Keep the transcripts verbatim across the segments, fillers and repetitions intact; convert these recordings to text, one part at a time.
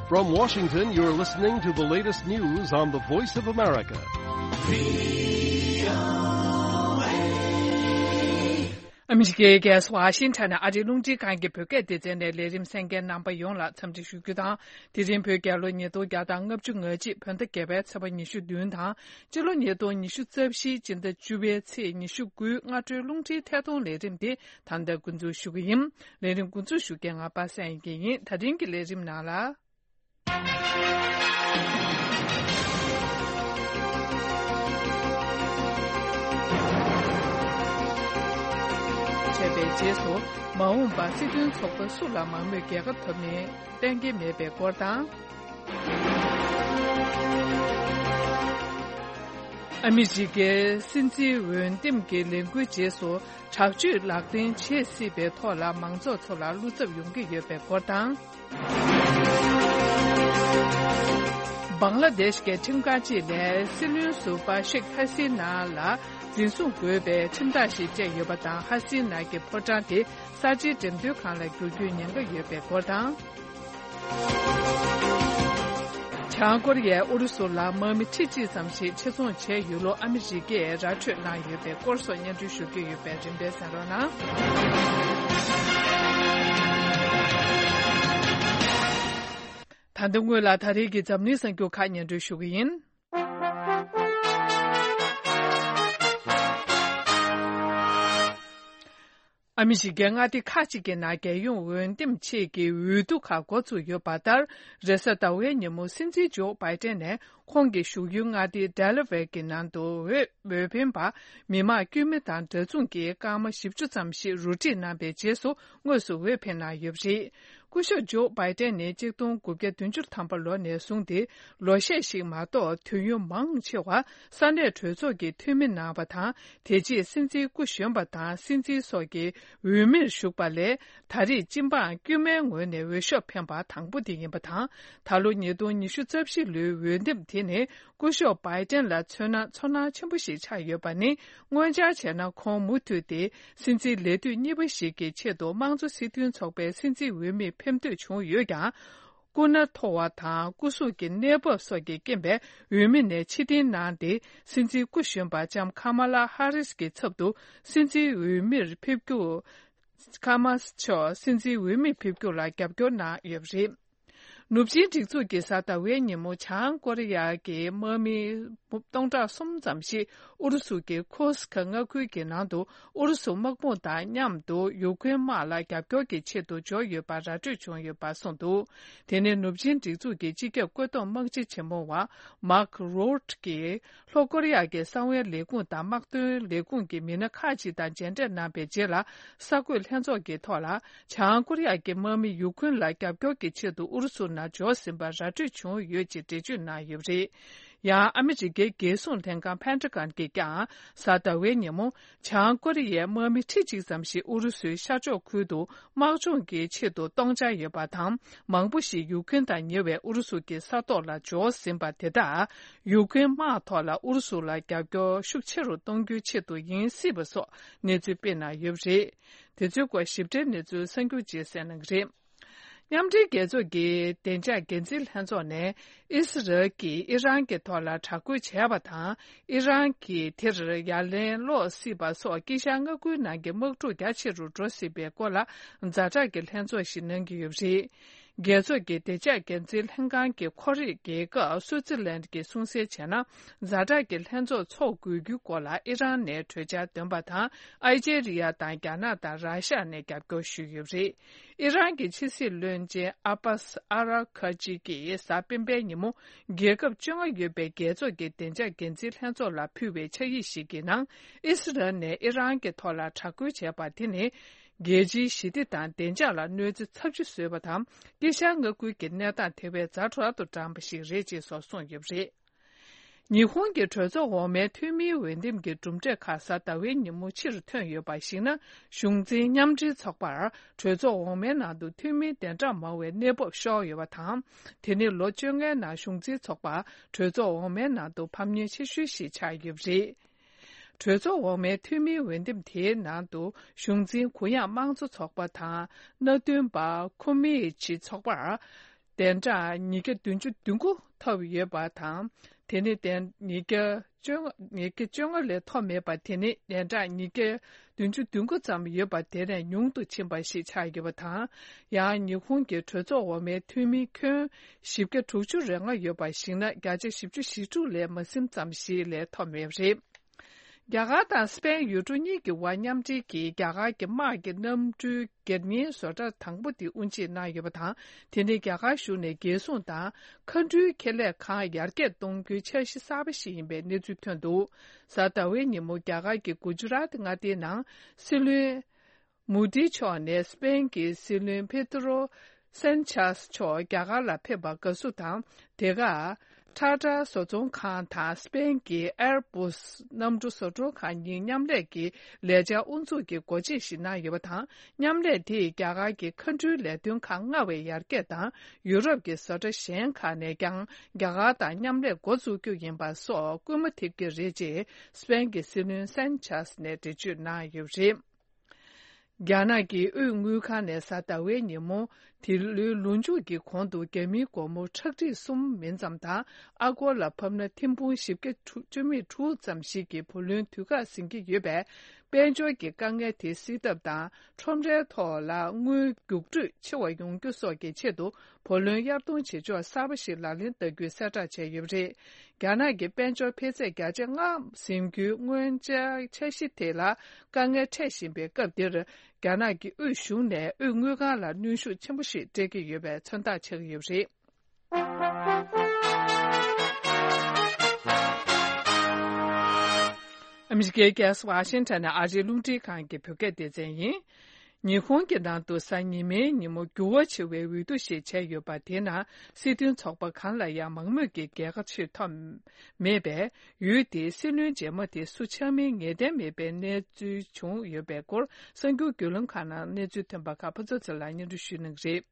From Washington, you're listening to the latest news on the Voice of America. ཨ་མི་རི་ཀའི་རྒྱལ་ས་ཝ་ཤིང་ཊོན་ནས་ཨ་རིའི་རླུང་འཕྲིན་ཁང་གི་བོད་སྐད་སྡེ་ཚན་ནས་ལས་རིམ་གསན་མཁན་རྣམ་པ་ཡོངས་ལ་འཚམས་འདྲི་ཞུ་རྒྱུ་དང་། དེ་རིང་བོད་རྒྱལ་ལོ་ཉིས་སྟོང་བརྒྱ་དང་ལྔ་བཅུ་ང་གཅིག་བོད་ཟླ་བརྒྱད་པའི་ཚེས་པ་ཉི་ཤུ་བདུན་དང་། སྤྱི་ལོ་ཉིས་སྟོང་ཉི་ཤུ་རྩ་བཞི་སྤྱི་ཟླ་བཅུ་པའི་ཚེས་ཉི་ཤུ་དགུའི་སྔ་དྲོའི་རླུང་འཕྲིན་ཐད་གཏོང་ལས་རིམ་དེ་ད་ལྟ་འགོ་འཛུགས་ཞུ་གི་ཡིན། ལས་རིམ་འགོ་འཛུགས་ཞུ་མཁན་ང་པ་སངས་ཡིན་གྱི་ཡིན། ད་རིང་གི་ལས་རིམ་ནང་ལ། བྱས་པའི་རྗེས་སུ་མ་འོངས་པར་སྲིད་དོན་ཚོགས་པ་སུ་ལ་མང་མོས་རྒྱལ་ཁ་ཐོབ་ནས་གཏན་འཁེལ་མེད་པའི་སྐོར་དང་། ཨ་མི་རི་ཀའི་སྲིད་འཛིན་འོས་འདེམས་ཀྱི་ལས་འགུལ་རྗེས་སུ་དྲག་སྤྱོད་ལག་འཐེན་བྱེད་སྲིད་པའི་ཐོག་ལ་མང་ཚོགས་ཚོ་ལ་བློ་འཚབ་ཡོང་གི་ཡོད་པའི་སྐོར་དང་། བང་ལ་དེཤ་གི་ཁྲིམས་ཁང་གཅིག་ནས་སྲིད་བློན་ཟུར་པ་ཤེག་ཧ་སི་ན་ལ་འཛིན་བཟུང་དགོས་པའི་ཁྲིམས་ཐག་ཞིག་བཅད་ཡོད་པ་དང་། ཧ་སི་ན་གྱི་ཕོ་བྲང་དེ་གསར་བརྗེའི་འགྲེམས་སྟོན་ཁང་ལ་འགྱུར་རྒྱུའི་ཉེན་ཁ་ཡོད་པའི་སྐོར་དང་། བྱང་ཀོ་རི་ཡས་ཨུ་རུ་སུ་ལ་དམག་མི་ཁྲི་གཅིག་ཙམ་ཞིག་ཆེད་རྫོང་བྱས་ཡོད་ལུགས་ཨ་མི་རི་ཀས་ར་འཕྲོད་གནང་ཡོད་པའི་སྐོར་སོགས་སྙན་སྒྲོན་ཞུ་རྒྱུ་ཡོད་པས་རིམ་པས་གསན་རོགས་གནང་། ད་ལྟ་སྔོན་ལ་ད་རེས་ཀྱི་འཛམ་གླིང་གསར་འགྱུར་ཁག་སྙན་སྒྲོན་ཞུ་གི་ཡིན། ཨ་མི་རི་ཀའི་མངའ་སྡེ་ཁག་ཅིག་གི་ནང་རྒྱལ་ཡོངས་འོས་འདེམས་ཆེད་ཀྱི་འོས་བསྡུ་ཁག་འགོ་ཚུགས་ཡོད་པ་ལྟར། རེས་གཟའ་ཟླ་བའི་ཉིན་མོ་སྲིད་འཛིན་ཇོ་བྷའི་ཏན་ནས་ཁོང་གི་བཞུགས་ཡུལ་མངའ་སྡེ་ཌེ་ལ་ཝེར་གྱི་ནང་དུ་འོས་འོས་འཕེན་པ་མི་མང་དཀྱུས་མ་དང་འདྲ་མཚུངས་ཀྱི་སྐར་མ་བཞི་བཅུ་ཙམ་ཞིག་རུ་སྒྲིག་གནང་པའི་རྗེས་སུ་དངོས་སུ་འོས་འཕེན་གནང་ཡོད་པ་རེད། སྐུ་ཞབས་ཇོ་བྷའི་ཏན་ནི་གཅིག་སྟོང་དགུ་བརྒྱ་བདུན་ཅུ་ཐམ་པ་ལོ་ནས་བཟུང་སྟེ་ལོ་ཤས་ཤིག་མ་གཏོགས་དུས་ཡུན་མང་ཆེ་བ་ས་གནས་གྲོས་ཚོགས་ཀྱི་འཐུས་མི་གནང་བ་དང་། དེ་རྗེས་སྲིད་འཛིན་སྐུ་གཞོན་པ་དང་སྲིད་འཛིན་སོགས་ཀྱི་འོས་མིར་ཞུགས་པ་ལས། ད་རེས་སྤྱི་འབངས་དཀྱུས་མའི་ངོས་ནས་འོས་ཤོག་འཕེན་པ་དང་པོ་དེ་ཡིན་པ་དང་། ད་ལོ་ཉིས་སྟོང་ཉི་ཤུ་རྩ་བཞི་ལོའི་འོས་འདེམས་དེ་ནི་སྐུ་ཞབས་བྷའི་ཏན་ལ་མཚོན་ན་ཚོར་སྣང་ཆེན་པོ་ཞིག་ཆགས་ཡོད་པ་ནི། སྔོན་ཆར་བྱས་ན་ཁོང་མུ་མཐུད་དེ་སྲིད་འཛིན་ལས་དུས་གཉིས་པ་ཞིག་གི་ཆེད་དུ་དམངས་གཙོ་སྲིད་དོན་ཚོགས་པའི་སྲིད་འཛིན་འོས་མིར་འཕེན་འདོད་བྱུང་ཡོད་ཀྱང་། སྐུ་ན་མཐོ་བ་དང་སྐུ་གཟུགས་ཀྱི་གནས་བབ་སོགས་ཀྱི་རྐྱེན་པས་འོས་མི་ནས་ཕྱིར་འཐེན་གནང་སྟེ། སྲིད་འཛིན་སྐུ་གཞོན་པ་ལྕམ་ཁ་མ་ལ་ཧ་རིས་ཀྱི་ཚབ་ཏུ་སྲིད་འཛིན་འོས་མིར་ཕེབས་རྒྱུ། ཁ་མ་མཆོག་སྲིད་འཛིན་འོས་མིར་ཕེབས་རྒྱུ་ལ་རྒྱབ་སྐྱོར་གནང་ཡོད་པ་རེད། ནུབ་ཆིངས་སྒྲིག་འཛུགས་ཀྱིས་གཟའ་ཟླ་བའི་ཉིན་མོ་བྱང་ཀོ་རི་ཡ་གི་དམག་མི་སྟོང་ཕྲག་གསུམ་ཙམ་ཞིག་ཨུ་རུ་སུ་གི་ཁུར་སི་ཁ་མངའ་ཁུལ་གྱི་ནང་དུ་ཨུ་རུ་སུ་དམག་དཔུང་དང་མཉམ་དུ་ཡུ་ཁུན་དམག་ལ་རྒྱབ་སྐྱོར་གྱི་ཆེད་དུ་འབྱོར་ཡོད་པ་ར་སྤྲོད་བྱུང་ཡོད་པ་གསུངས་འདུག་དེ་ནི་ནུབ་ཆིངས་སྒྲིག་འཛུགས་ཀྱི་སྤྱི་ཁྱབ་བཀོད་འདོམས་དམག་སྤྱི་ཆེན་མོ་བ་མཱག་རོ་ཊ་གིས། ལྷོ་ཀོ་རི་ཡ་གི་གསང་བའི་ལས་ཁུངས་དང་དམག་དོན་ལས་ཁུངས་ཀྱི་མི་སྣ་ཁག་ཅིག་དང་མཇལ་འཕྲད་གནང་པའི་རྗེས་ལ། གསར་འགོད་ལྷན་ཚོགས་ཀྱི་ཐོག་ལ། བྱང་ཀོ་རི་ཡ་གི་དམག་མི་ཡུ་ཁུན་ལ་རྒྱབ་སྐྱོར་གྱི་ཆེད་དུ་ཨུ་རུ་སུ་ནང་འབྱོར་ཟིན་པ་ར་སྤྲོད་བྱུང་ཡོད་ཅེས་འགྲེལ་བརྗོད་གནང་ཡོད་པ་རེད། ཡང་ཨ་མི་རི་ཀའི་རྒྱལ་སྲུང་ལྷན་ཁང་ཕན་ཁྲི་ཀན་གྱིས་ཀྱང་གཟའ་ཟླ་བའི་ཉིན་མོ། བྱང་ཀོ་རི་ཡའི་དམག་མི་ཁྲི་གཅིག་ཙམ་ཞིག་ཨུ་རུ་སུའི་ཤར་ཕྱོགས་ཁུལ་དུ། དམག་སྦྱོང་གི་ཆེད་དུ་གཏོང་འཆར་ཡོད་པ་དང་། མང་པོ་ཞིག་ཡུ་ཁུན་དང་ཉེ་བའི་ཨུ་རུ་སུ་གྱི་ས་ཐོག་ལ་འབྱོར་ཟིན་པ་དེ་དག་ཡུ་ཁུན་དམག་ཐོག་ལ་ཨུ་རུ་སུ་ལ་རྒྱབ་སྐྱོར་ཤུགས་ཆེ་རུ་གཏོང་རྒྱུའི་ཆེད་དུ་ཡིན་སྲིད་པ་སོགས་གནས་ཚུལ་སྤེལ་གནང་ཡོད་པ་རེད། དེ་ཚོའི་སྐོར་ཞིབ་ཕྲའི་གནས་ཚུལ་གསར་འགྱུར་རྗེས་གསན་གནང་གི་རེད། མཉམ་འབྲེལ་རྒྱལ་ཚོགས་ཀྱི་བདེ་འཇགས་འགན་འཛིན་ལྷན་ཚོགས་ནས་ཨི་སི་རལ་གྱིས་ཨི་རན་གྱི་ཐོག་ལ་དྲག་རྒོལ་བྱས་པ་དང་། ཨི་རན་གྱིས་དེར་ཡ་ལན་སློག་སྲིད་པ་སོགས་དཀྱིལ་ཤར་མངའ་ཁུལ་ནང་གི་དམག་འཁྲུག་རྒྱ་ཆེ་རུ་འགྲོ་སྲིད་པའི་སྐོར་ལ་ཛ་དྲག་གི་ལྷན་ཚོགས་ཤིག་གནང་གི་ཡོད་པ་རེད། རྒྱལ་ཚོགས་ཀྱི་བདེ་འཇགས་འགན་འཛིན་ལྷན་ཁང་གི་ཁོར་ཡུག་རྒྱལ་ཁབ་སུའུ་ཙི་ལན་གྱིས་གསུངས་གསལ་བྱས་ན། ཛ་དྲག་གི་ལྷན་ཚོགས་འཚོགས་དགོས་རྒྱུའི་སྐོར་ལ་ཨི་རན་ནས་གྲོས་འཆར་འདོན་པ་དང་། ཨལ་ཇེ་རི་ཡ་དང་རྒྱ་ནག་དང་ར་ཤ་ནས་རྒྱབ་སྐྱོར་ཞུས་ཡོད་པ་རེད། ཨི་རན་གྱི་ཕྱི་སྲིད་བློན་ཆེན་ཨ་པཱས་ཨ་ར་ཁ་ཅི་གིས་གཟའ་སྤེན་པའི་ཉིན་མོ། རྒྱལ་ཁབ་བཅོ་ལྔ་ཡོད་པའི་རྒྱལ་ཚོགས་ཀྱི་བདེ་འཇགས་འགན་འཛིན་ལྷན་ཚོགས་ལ་ཕུལ་བའི་ཕྱག་ཡིག་ཞིག་གི་ནང་། ཨི་སི་རལ་ནས་ཨི་རན་གྱི་ཐོག་ལ་དྲག་རྒོལ་བྱས་པ་དེ་ནི། རྒྱལ་སྤྱིའི་ཞི་བདེ་དང་བདེ་འཇགས་ལ་གནོད་འཚེ་ཚབས་ཆེ་བཟོས་པ་དང་། དཀྱིལ་ཤར་མངའ་ཁུལ་གྱི་གནས་སྟངས་དེ་བས་ཛ་དྲག་ཏུ་དྲངས་པ་ཞིག་རེད་ཅེས་སོགས་གསུངས་ཡོད་པ་རེད། ཉི་ཧོང་གི་གྲོས་ཚོགས་འོག་མའི་འཐུས་མིའི་འོས་འདེམས་ཀྱི་གྲུབ་འབྲས་ཁག་གཟའ་ཟླ་བའི་ཉིན་མོ་ཕྱིར་ཐོན་ཡོད་པར་གཞིགས་ན། གཞུང་འཛིན་མཉམ་འབྲེལ་ཚོགས་པར་གྲོས་ཚོགས་འོག་མའི་ནང་དུ་འཐུས་མི་དེ་འདྲ་མང་བའི་གནས་བབ་ཤོར་ཡོད་པ་དང་། དེ་ནི་ལོ་བཅོ་ལྔའི་ནང་གཞུང་འཛིན་ཚོགས་པར་གྲོས་ཚོགས་འོག་མའི་ནང་དུ་ཕམ་ཉེས་ཆེ་ཤོས་ཤིག་ཆགས་ཡོད་པ་རེད། གྲོས་ཚོགས་འོག་མའི་འཐུས་མིའི་འོས་འདེམས་དེའི་ནང་དུ་གཞུང་འཛིན་གུ་ཡངས་དམངས་གཙོ་ཚོགས་པ་དང་། མནའ་མཐུན་པ་ཁོ་མི་ཆི་ཚོགས་པར། བདུན་ཕྲག་ཉིས་བརྒྱ་བདུན་ཅུ་དོན་དགུ་ཐོབ་ཡོད་པ་དང་། དེ་ནི་བདུན་ཉིས་བརྒྱ་བཅོ་ལྔ་ཉིས་བརྒྱ་བཅོ་ལྔ་ལས་ཐོབ་མེད་པ་དེ་ནི་བདུན་ཕྲག་ཉིས་བརྒྱ་བདུན་ཅུ་དོན་དགུ་ཙམ་ཡོད་པ་དེ་ནས་ཉུང་དུ་ཕྱིན་པ་ཞིག་ཆགས་ཡོད་པ་དང་། ཡང་ཉི་ཧོང་གི་གྲོས་ཚོགས་འོག་མའི་འཐུས་མི་ཁྱོན་བཞི་བརྒྱ་དྲུག་ཅུ་རེ་ལྔ་ཡོད་པ་གཞིགས་ན། བརྒྱ་ཆ་བཞི་བཅུ་ཞེ་དྲུག་ལས་མ་ཟིན་ཙམ་ཞིག་ལས་ཐོབ་མེད་པ་རེད། རྒྱ་གར་དང་སི་པེན་ཡུལ་གྲུ་གཉིས་ཀྱི་དབར་མཉམ་འབྲེལ་གྱིས་རྒྱ་གར་གྱི་དམག་གི་གནམ་གྲུའི་སྒེར་གཉེར་བཟོ་གྲྭ་དང་པོ་དེ་དབུ་འབྱེད་གནང་ཡོད་པ་དང་། དེ་ནི་རྒྱ་གར་གཞུང་ནས་རྒྱལ་སྲུང་དང་མཁའ་འགྲུལ་ཁེ་ལས་ཁང་ཡར་རྒྱས་གཏོང་རྒྱུའི་འཆར་གཞི་གསར་པ་ཞིག་ཡིན་པའི་གནས་ཚུལ་ཐོན་འདུག་གཟའ་ཟླ་བའི་ཉིན་མོ་རྒྱ་གར་གྱི་གུ་ཇུ་རཱཏ་མངའ་སྡེའི་ནང་སྲིད་བློན་མོ་དྷི་མཆོག་ནས་སི་པེན་གྱི་སྲིད་བློན་པེ་ཏྲོ་སན་ཆཱས་མཆོག་རྒྱ་གར་ལ་ཕེབས་པར་དགའ་བསུ་དང་། དེ་ག་ཊ་ཊ་བཟོ་ཚོང་ཁང་དང་སི་པེན་གྱི་ཨེར་བྷུས་གནམ་གྲུ་བཟོ་སྐྲུན་ཁང་གཉིས་མཉམ་ལས་ཀྱི་ལས་འཆར་དབུ་འཛུགས་ཀྱི་སྒོ་འབྱེད་ཞིག་གནང་ཡོད་པ་དང་། མཉམ་ལས་དེས་རྒྱ་གར་གྱི་མཁའ་འགྲུལ་ལས་དོན་ཁག་སྔར་བས་ཡར་རྒྱས་དང་། ཡུ་རོབ་ཀྱི་བཟོ་གྲྭ་གཞན་ཁག་ནས་ཀྱང་རྒྱ་གར་དང་མཉམ་ལས་འགོ་འཛུགས་རྒྱུ་ཡིན་པ་སོགས་སྐུལ་མ་ཐེབས་ཀྱི་རེད་ཅེས་སི་པེན་གྱི་སྲིད་བློན་སན་ཆཱས་ནས་འགྲེལ་བརྗོད་གནང་ཡོད་པ་རེད། རྒྱ་ནག་གི་དབུས་དངུལ་ཁང་ནས་གཟའ་ཟླ་བའི་ཉིན་མོ་འདི་ལོའི་ལོ་མཇུག་གི་གོང་དུ་རྒྱ་མིའི་སྒོར་མོ་ཁྲག་ཁྲིག་གསུམ་མིན་ཙམ་དང་། ཨ་སྒོར་ལ་ཕབ་ན་ཐེར་འབུམ་བཞི་བརྒྱ་བཅུ་མེད་དྲུག་ཙམ་ཞིག་གི་བུ་ལོན་དུས་བཀག་ཟིན་གྱི་ཡོད་པས། དཔལ་འབྱོར་གྱི་དཀའ་ངལ་དེ་སེལ་ཐབས་དང་། ཁྲོམ་རའི་ཐོག་ལ་དངུལ་རྒྱུགས་སྤྲོད་ཆེ་བ་ཡོང་རྒྱུ་སོགས་ཀྱི་ཆེད་དུ། བུ་ལོན་གཡར་གཏོང་བྱེད་ཕྱོགས་གསར་པ་ཞིག་ལག་ལེན་བསྟར་རྒྱུའི་གསལ་བསྒྲགས་བྱས་ཡོད་པ་རེད། རྒྱ་ནག་གི་དཔལ་འབྱོར་འཕེལ་ཚད་བརྒྱ་ཆ་ལྔ་ཟིན་རྒྱུའི་སྔོན་འཆར་འཆར་གཞི་དེ་ལ་དཀའ་ངལ་འཕྲད་བཞིན་པའི་སྐབས་འདིར། རྒྱ་ནག་གི་དབུས་གཞུང་ནས་དབུས་དངུལ་ཁང་ལ་གནོན་ཤུགས་ཆེན་པོ་ཞིག་སྤྲད་ཀྱི་ཡོད་པའི་མཚོན་རྟགས་ཆགས་ཀྱི་ཡོད་པ་རེད། ཨ་མི་རི་ཀའི་རྒྱལ་ས་ཝ་ཤིང་ཊོན་ནས་ཨ་རིའི་རླུང་འཕྲིན་ཁང་གི་བོད་སྐད་སྡེ་ཚན་ཡིན། ཉི་ཧོང་གི་ནང་དུ་གཟའ་ཉི་མའི་ཉིན་མོ་འགྱུར་བ་ཆེ་བའི་འོས་བསྡུ་ཞིག་བྱས་ཡོད་པ་དེའི་ནང་སྲིད་དོན་ཚོགས་པ་གང་ལ་ཡང་མང་མོས་ཀྱི་རྒྱལ་ཁ་ཆེ་ཐོབ་མེད་པས། འོས་དེའི་སྲིད་བློན་རྗེས་མ་དེ་སུ་ཆགས་མིན་ངེས་གཏན་མེད་པའི་གནས་ཚུལ་བྱུང་ཡོད་པའི་སྐོར་གསར་འགྱུར་བརྒྱུད་ལམ་ཁག་ནང་གནས་ཚུལ་ཐོན་པ་ཁག་ཕུན་ཚོགས་ཚེ་ལགས་སྙན་སྒྲོན་ཞུ་གནང་གི་རེད།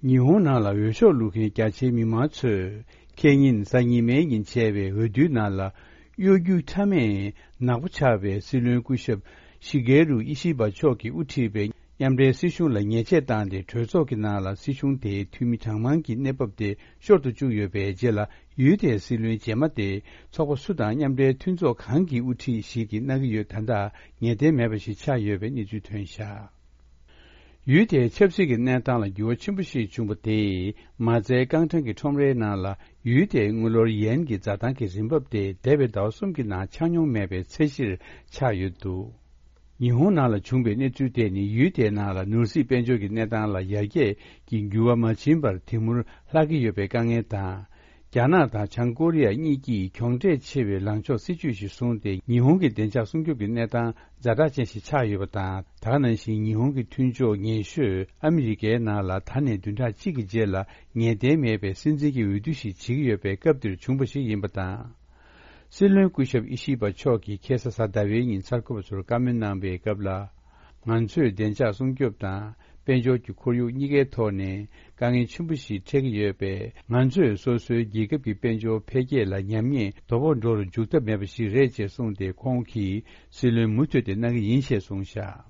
ཉི་ཧོང་ནང་ལ་འོས་ཤོག་བླུག་མཁན་རྒྱ་ཆེའི་མི་མང་ཚོས་ཁེ་ཉིན་གཟའ་ཉི་མའི་ཉིན་བྱས་པའི་འོས་བསྡུའི་ནང་ལ་གཡོ་སྒྱུ་ཁྲ་མེད་ནག་པོ་ཆགས་པའི་སྲིད་བློན་སྐུ་ཞབས་ཤི་གེ་རུ་ཨི་ཤི་བ་མཆོག་གིས་དབུ་ཁྲིད་པའི་མཉམ་འབྲེལ་སྲིད་གཞུང་ལ་ཉེས་ཆད་བཏང་སྟེ། གྲོས་ཚོགས་ཀྱི་ནང་ལ་སྲིད་གཞུང་དེའི་འཐུས་མི་གྲངས་མང་གི་གནས་བབ་དེ་ཤོར་དུ་བཅུག་ཡོད་པའི་རྗེས་ལ། འོས་དེའི་སྲིད་བློན་རྗེས་མ་དེ་ཚོགས་པ་སུ་དང་མཉམ་འབྲེལ་མཐུན་ཚོགས་གང་གིས་དབུ་ཁྲིད་ཞིག་གིས་གནང་གི་ཡོད། ད་ལྟ་ངེས་གཏན་མེད་པ་ཞིག་ཆགས་ཡོད་པའི་གནས་ཚུལ་ཐོན་བཞག་འོས་དེའི་ཆབ་སྲིད་ཀྱི་གནས་སྟངས་ལ་འགྱུར་བ་ཆེན་པོ་ཞིག་བྱུང་བ་དེས། མ་རྩའི་རྐང་གྲངས་ཀྱི་ཁྲོམ་རའི་ནང་ལ་འོས་དེའི་དངུལ་ལོར་ཡན་གྱི་འཛའ་ཐང་གི་རིན་འབབ་དེ་འདས་པའི་ཟླ་བ་གསུམ་གྱི་ནང་ཆག་མྱོང་མེད་པའི་ཚད་གཞིར་ཆག་ཡོད་འདུག་ཉི་ཧོང་ནང་ལ་བྱུང་བའི་གནས་ཚུལ་དེ་ནི། འོས་དེའི་ནང་ལ་ནོར་སྲིད་དཔལ་འབྱོར་གྱི་གནས་སྟངས་ལ་ཡར་རྒྱས་ཀྱི་འགྱུར་བ་མ་ཕྱིན་པར་དེ་མུར་ལྷག་གི་ཡོད་པའི་དཀའ་ངལ་དང་། རྒྱ་ནག་དང་བྱང་ཀོ་རི་ཡ་གཉིས་ཀྱིས་གྱོང་འབྲས་ཆེ་བའི་ལངས་ཕྱོགས་སྲིད་ཇུས་ཤིག་བཟུང་སྟེ། ཉི་ཧོང་གི་བདེ་འཇགས་སྲུང་སྐྱོབ་ཀྱི་གནས་སྟངས་ཛ་དྲག་ཅན་ཞིག་ཆགས་ཡོད་པ་དང་། ད་ག་ནང་བཞིན་ཉི་ཧོང་གི་མཐུན་ཕྱོགས་ཉེ་ཤོས་ཨ་མི་རི་ཀའི་ནང་ལ་ད་ནས་བདུན་ཕྲག་གཅིག་གི་རྗེས་ལ་ངེས་གཏན་མེད་པའི་སྲིད་འཛིན་གྱི་འོས་བསྡུ་ཞིག་བྱེད་ཀྱི་ཡོད་པའི་སྐབས་འདིར་བྱུང་བ་ཞིག་ཡིན་པ་དང་། སྲིད་བློན་སྐུ་ཞབས་ཨི་ཤི་བ་མཆོག་གིས་ཁ་སང་གཟའ་ཟླ་བའི་ཉིན་གསར་འགོད་པ་ཚོར་བཀའ་མོལ་གནང་བའི་སྐབས་ལ། ང་ཚོས་བདེ་འཇགས་སྲུང་སྐྱོབ་དང་དཔལ་འབྱོར་གྱི་ཁོར་ཡུག་གཉིས་ཀའི་ཐོག་ནས་དཀའ་ངལ་ཆེན་པོ་ཞིག་འཕྲད་ཀྱི་ཡོད་པས། ང་ཚོས་སོ་སོའི་རྒྱལ་ཁབ་ཀྱི་དཔལ་འབྱོར་འཕེལ་རྒྱས་ལ་ཉམས་ཉེས་དོ་ཕོག་འགྲོ་རུ་འཇུག་ཐབས་མེད་པ་ཞིག་རེད་ཅེས་གསུངས་ཏེ། ཁོང་གིས་སྲིད་བློན་མུ་མཐུད་དེ་གནང་གི་ཡིན་ཞེས་གསུངས་བཞག་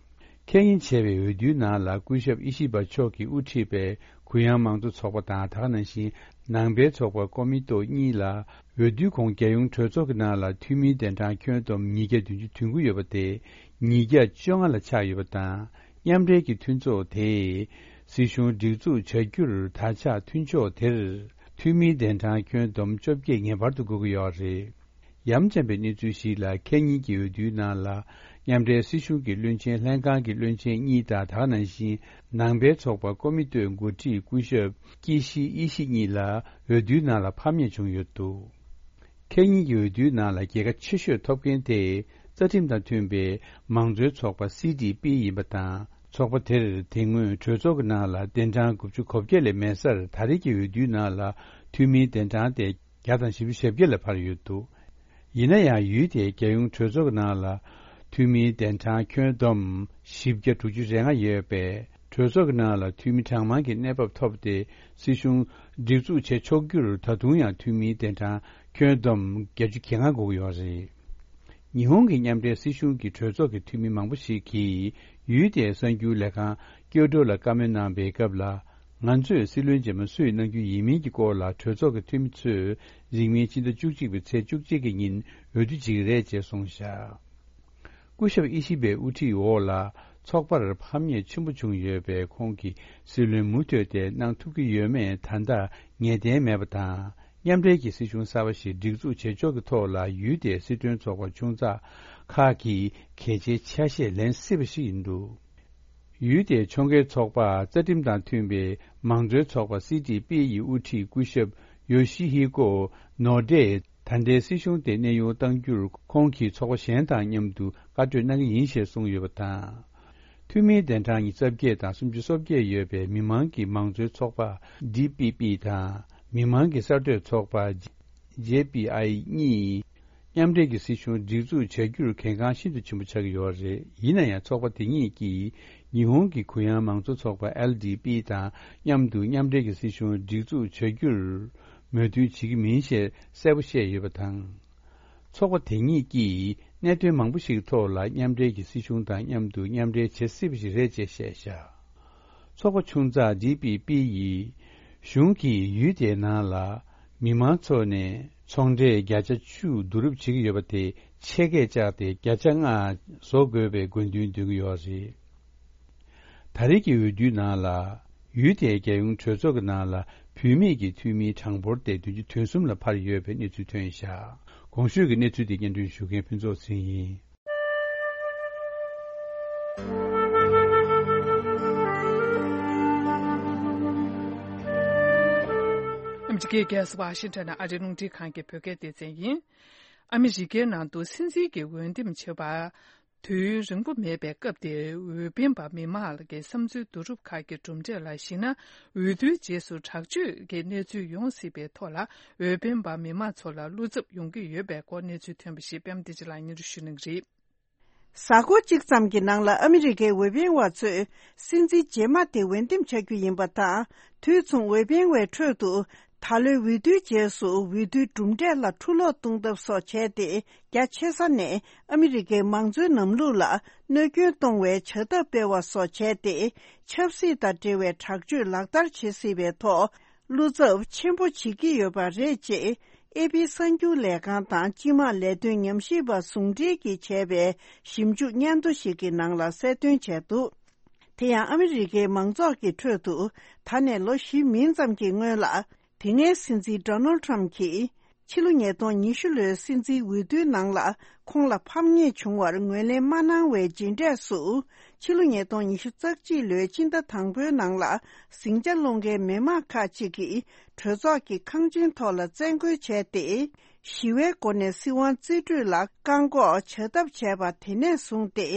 ཁེ་ཉིན་བྱས་པའི་འོས་བསྡུའི་ནང་ལ་སྐུ་ཞབས་ཨི་ཤི་བ་མཆོག་གིས་དབུ་ཁྲིད་པའི་གུ་ཡངས་མང་གཙོ་ཚོགས་པ་དང་། ད་ག་ནང་བཞིན་ནང་པའི་ཚོགས་པ་ཀོ་མི་ཏོ་གཉིས་ལ་འོས་བསྡུའི་གོང་རྒྱལ་ཡོངས་གྲོས་ཚོགས་ཀྱི་ནང་ལ་འཐུས་མིའི་གདན་གྲངས་ཁྱོན་བསྡོམས་ཉིས་བརྒྱ་བདུན་ཅུ་དོན་དགུ་ཡོད་པ་དེ་ཉིས་བརྒྱ་བཅོ་ལྔ་ལ་ཆགས་ཡོད་པ་དང་། མཉམ་འབྲེལ་གྱི་མཐུན་ཚོགས་དེས་སྲིད་གཞུང་སྒྲིག་འཛུགས་བྱ་རྒྱུར་ད་ཆ་མཐུན་ཕྱོགས་དེར་འཐུས་མིའི་གདན་གྲངས་ཁྱོན་བསྡོམས་བཅོ་བརྒྱད་ངེས་པར་དུ་དགོས་ཀྱི་ཡོད་རེད། ཡ་མཚན་པའི་གནས་ཚུལ་ཞིག་ལ། ཁེ་ཉིན་གྱི་འོས་བསྡུའི་ནང་ལ་མཉམ་འབྲེལ་སྲིད་གཞུང་གི་བློན་ཆེན་ལྷན་ཁང་གི་བློན་ཆེན་གཉིས་དང་། ད་ག་ནང་བཞིན་ནང་པའི་ཚོགས་པ་ཀོ་མི་ཏོའི་འགོ་ཁྲིད་སྐུ་ཞབས་ཀི་ཤི་ཨི་ཤི་གཉིས་ལ་འོས་བསྡུའི་ནང་ལ་ཕམ་ཉེས་བྱུང་ཡོད་འདུག་ཁེ་ཉིན་གྱི་འོས་བསྡུའི་ནང་ལ་རྒྱལ་ཁ་ཆེ་ཤོས་ཐོབ་མཁན་དེ་རྩ་ཁྲིམས་དང་མཐུན་པའི་མང་གཙོའི་ཚོགས་པ་སི་ཌི་པི་ཡིན་པ་དང་། ཚོགས་པ་དེར་དེ་སྔོན་གྲོས་ཚོགས་ཀྱི་ནང་ལ་གདན་གྲངས་དགུ་བཅུ་གོ་བརྒྱད་ལས་མེད་སར། ད་རེས་ཀྱི་འོས་བསྡུའི་ནང་ལ་འཐུས་མིའི་གདན་གྲངས་དེ་བརྒྱ་དང་བཞི་བཅུ་ཞེ་བརྒྱད་ལ་འཕར་ཡོད་འདུག་ཡིན་ན་ཡང་། འོས་དེ་རྒྱལ་ཡོངས་གྲོས་ཚོགས་ཀྱི་ནང་ལ་འཐུས་མིའི་གདན་གྲངས་ཁྱོན་བསྡོམས་བཞི་བརྒྱ་དྲུག་ཅུ་རེ་ལྔ་ཡོད་པས། གྲོས་ཚོགས་ཀྱི་ནང་ལ་འཐུས་མི་གྲངས་མང་གི་གནས་བབ་ཐོབ་སྟེ། སྲིད་གཞུང་སྒྲིག་འཛུགས་བྱེད་ཆོག་རྒྱུར་ད་དུང་ཡང་འཐུས་མིའི་གདན་གྲངས་ཁྱོན་བསྡོམས་བརྒྱད་ཅུ་གྱ་ལྔ་དགོས་ཀྱི་ཡོད་རེད། ཉི་ཧོང་གི་མཉམ་འབྲེལ་སྲིད་གཞུང་གི་གྲོས་ཚོགས་ཀྱི་འཐུས་མི་མང་པོ་ཞིག་གིས་འོས་དེའི་གསར་འགྱུར་ལས་ཁང་ཀྱོ་ཀྲོ་ལ་བཀའ་མོལ་གནང་བའི་སྐབས་ལ། ང་ཚོས་སྲིད་བློན་རྗེས་མ་སུ་ཡིས་གནང་རྒྱུ་ཡིན་མིན་གྱི་སྐོར་ལ་གྲོས་ཚོགས་ཀྱི་འཐུས་མི་ཚོས་རིང་མིན་ཕྱི་ཟླ་བཅུ་གཅིག་པའི་ཚེས་བཅུ་གཅིག་གི་ཉིན་འོས་བསྡུ་བྱེད་ཀྱི་རེད་ཅེས་གསུངས་བཞག་སྐུ་ཞབས་ཨི་ཤི་པའི་དབུ་ཁྲིད་འོག་ལ་ཚོགས་པར་ཕམ་ཉེས་ཆེན་པོ་བྱུང་ཡོད་པས། ཁོང་གིས་སྲིད་བློན་མུ་མཐུད་དེ་གནང་ཐུབ་ཀྱི་ཡོད་མེད་ད་ལྟ་ངེས་གཏན་མེད་པ་དང་། མཉམ་འབྲེལ་གྱི་སྲིད་གཞུང་གསར་པ་ཞིག་སྒྲིག་འཛུགས་བྱེད་ཕྱོགས་ཀྱི་ཐོག་ལ་ཡུལ་དེའི་སྲིད་དོན་ཚོགས་པ་ཆུང་ཙག་ཁག་གིས་གལ་ཆེའི་ཆ་ཤས་ལེན་སྲིད་པ་ཞིག་ཡིན་འདུག་ཡུལ་དེའི་ཕྱོགས་འགལ་ཚོགས་པ་རྩ་ཁྲིམས་དང་མཐུན་པའི་མང་གཙོའི་ཚོགས་པ་སི་ཌི་པི་ཡི་དབུ་ཁྲིད་སྐུ་ཞབས་ཡོ་ཤི་ཧི་ཀོ་ནོ་ཌེས་ད་ལྟའི་སྲིད་གཞུང་དེ་གནས་དབྱུང་གཏང་རྒྱུར་ཁོང་གིས་ཚོགས་པ་གཞན་དང་མཉམ་དུ་བཀའ་གྲོས་གནང་གི་ཡིན་ཞེས་གསུངས་ཡོད་པ་དང་། འཐུས་མིའི་གདན་གྲངས་ཉི་ཤུ་རྩ་བརྒྱད་དང་སུམ་ཅུ་སོ་བརྒྱད་ཡོད་པའི་མི་མང་གི་མང་གཙོའི་ཚོགས་པ་ཌི་པི་པི་དང་མི་མང་གི་གསར་གཏོད་ཚོགས་པ་ཇེ་པི་ཨའི་གཉིས། མཉམ་འབྲེལ་གྱི་སྲིད་གཞུང་སྒྲིག་འཛུགས་བྱ་རྒྱུར་གལ་འགངས་ཤིན་ཏུ་ཆེན་པོ་ཆགས་ཀྱི་ཡོད་རེད། ཡིན་ན་ཡང་ཚོགས་པ་དེ་གཉིས་ཀྱིས་ཉི་ཧོང་གི་གུ་ཡངས་མང་གཙོ་ཚོགས་པ་ཨེལ་ཌི་པི་དང་མཉམ་དུ་མཉམ་འབྲེལ་གྱི་སྲིད་གཞུང་སྒྲིག་འཛུགས་བྱ་རྒྱུར་མོས་མཐུན་བྱེད་ཀྱི་མིན་ཞེས་གསལ་པོ་བཤད་ཡོད་པ་དང་། ཚོགས་པ་དེ་གཉིས་ཀྱིས་གནད་དོན་མང་པོ་ཞིག་ཐོག་ལ་མཉམ་འབྲེལ་གྱི་སྲིད་གཞུང་དང་མཉམ་དུ་མཉམ་འབྲེལ་བྱེད་སྲིད་པ་ཞིག་རེད་ཅེས་བཤད་བཞག་ཚོགས་པ་ཆུང་ཙག་ཌི་པི་པི་ཡིས་གཞུང་གིས་ཡུལ་དེའི་ནང་ལ་མི་མང་ཚོ་ནས་ཚོང་འབྲས་བརྒྱ་ཆ་བཅུ་བསྡུ་རུབ་བྱེད་ཀྱི་ཡོད་པ་དེ་ཆེད་བསྐྱེད་བཅག་སྟེ་བརྒྱ་ཆ་ལྔ་བཟོ་དགོས་པའི་དགོས་འདུན་འདོན་གྱི་ཡོད་རེད། ད་རེས་ཀྱི་འོས་བསྡུའི་ནང་ལ་ཡུལ་དེའི་རྒྱལ་ཡོངས་གྲོས་ཚོགས་ཀྱི་ནང་ལ་བུད་མེད་ཀྱི་འཐུས་མིའི་གྲངས་འབོར་དེ་བདུན་ཅུ་དོན་གསུམ་ལ་འཕར་ཡོད་པའི་གནས་ཚུལ་ཐོན་བཞག་གོང་ཞུས་ཀྱི་གནས་ཚུལ་དེ་སྙན་སྒྲོན་ཞུ་མཁན་ཕུན་ཚོགས་ཚེ་རིང་ཡིན། ཨ་མི་རི་ཀའི་རྒྱལ་ས་ཝ་ཤིང་ཊོན་ནས་ཨ་རིའི་རླུང་འཕྲིན་ཁང་གི་བོད་སྐད་སྡེ་ཚན་ཡིན། ཨ་མི་རི་ཀའི་ནང་དུ་སྲིད་འཛིན་གྱི་འོས་འདེམས་བྱེད་པར་དུས་རིང་པོ་མེད་པའི་སྐབས་དེར་འོས་འཕེན་པ་མི་མང་གི་བསམ་ཚུལ་བསྡུ་རུབ་ཁག་གི་གྲུབ་འབྲས་ལ་གཞིགས་ན། འོས་བསྡུའི་རྗེས་སུ་དྲག་སྤྱོད་ཀྱི་གནས་ཚུལ་ཡོང་སྲིད་པའི་ཐོག་ལ། འོས་འཕེན་པ་མི་མང་ཚོ་ལ་བློ་འཚབ་ཡོང་གི་ཡོད་པའི་སྐོར་གནས་ཚུལ་ཐོན་པ་ཞིག་པད་མ་བདེ་ཆེན་ལགས་སྙན་སྒྲོན་ཞུ་གནང་གི་རེད། གཟའ་འཁོར་གཅིག་ཙམ་གྱི་ནང་ལ་ཨ་མི་རི་ཀའི་འོས་འཕེན་བ་ཚོས་སྲིད་འཛིན་རྗེས་མ་དེ་འོས་འདེམས་བྱ་རྒྱུ་ཡིན་པ་དང་། དུས་མཚུངས་འོས་འཕེན་བའི་ཁྲོད་དུ་ད་ལོའི་འོས་བསྡུའི་རྗེས་སུ་འོས་བསྡུའི་གྲུབ་འབྲས་ལ་འཁྲུ་སློག་གཏོང་ཐབས་སོགས་བྱས་ཏེ། རྒྱ་ཆེ་ས་ནས་ཨ་མི་རི་ཀའི་མང་གཙོའི་ལམ་ལུགས་ལ་གནོད་སྐྱོན་གཏོང་བའི་བྱ་ཐབས་སྤེལ་བ་སོགས་བྱས་ཏེ། ཆབ་སྲིད་དང་འབྲེལ་བའི་དྲག་སྤྱོད་ལག་བསྟར་བྱེད་སྲིད་པའི་ཐོག་བློ་འཚབ་ཆེན་པོ་བྱེད་ཀྱི་ཡོད་པ་རེད་ཅེས། ཨེ་པི་གསར་འགྱུར་ལས་ཁང་དང་སྤྱི་དམངས་ལས་དོན་ཉམས་ཞིབ་པ་ཟུང་འབྲེལ་གྱིས་བྱས་པའི་ཞིབ་འཇུག་སྙན་ཐོ་ཞིག་གི་ནང་ལ་གསལ་སྟོན་བྱས་འདུག་དེ་ཡང་ཨ་མི་རི་ཀའི་མང་ཚོགས་ཀྱི་ཁྲོད་དུ་ད་ནས་ལོ་བཞི་མིན་ཙམ་གྱི་སྔོན་ལ། དེ་སྔའི་སྲིད་འཛིན་ཌོ་ནལ་ཁྲམ་གྱིས་ཕྱི་ལོ་ཉིས་སྟོང་ཉི་ཤུ་ལོའི་སྲིད་འཛིན་འོས་བསྡུའི་ནང་ལ་ཁོང་ལ་ཕམ་ཉེས་བྱུང་བར་ངོས་ལེན་མ་གནང་བའི་རྗེས་འབྲས་སུ། ཕྱི་ལོ་ཉིས་སྟོང་ཉི་ཤུ་རྩ་གཅིག་ལོའི་སྤྱི་ཟླ་དང་པོའི་ནང་ལ་ཟིང་ཆ་སློང་མཁན་མི་མང་ཁག་ཅིག་གིས་གྲོས་ཚོགས་ཀྱི་ཁང་ཆེན་ཐོག་ལ་བཙན་རྒོལ་བྱས་ཏེ། ཞི་བའི་སྒོ་ནས་སྲིད་དབང་རྩིས་སྤྲོད་ལ་བཀག་འགོག་བྱ་ཐབས་བྱས་པ་དེ་ནས་བཟུང་སྟེ།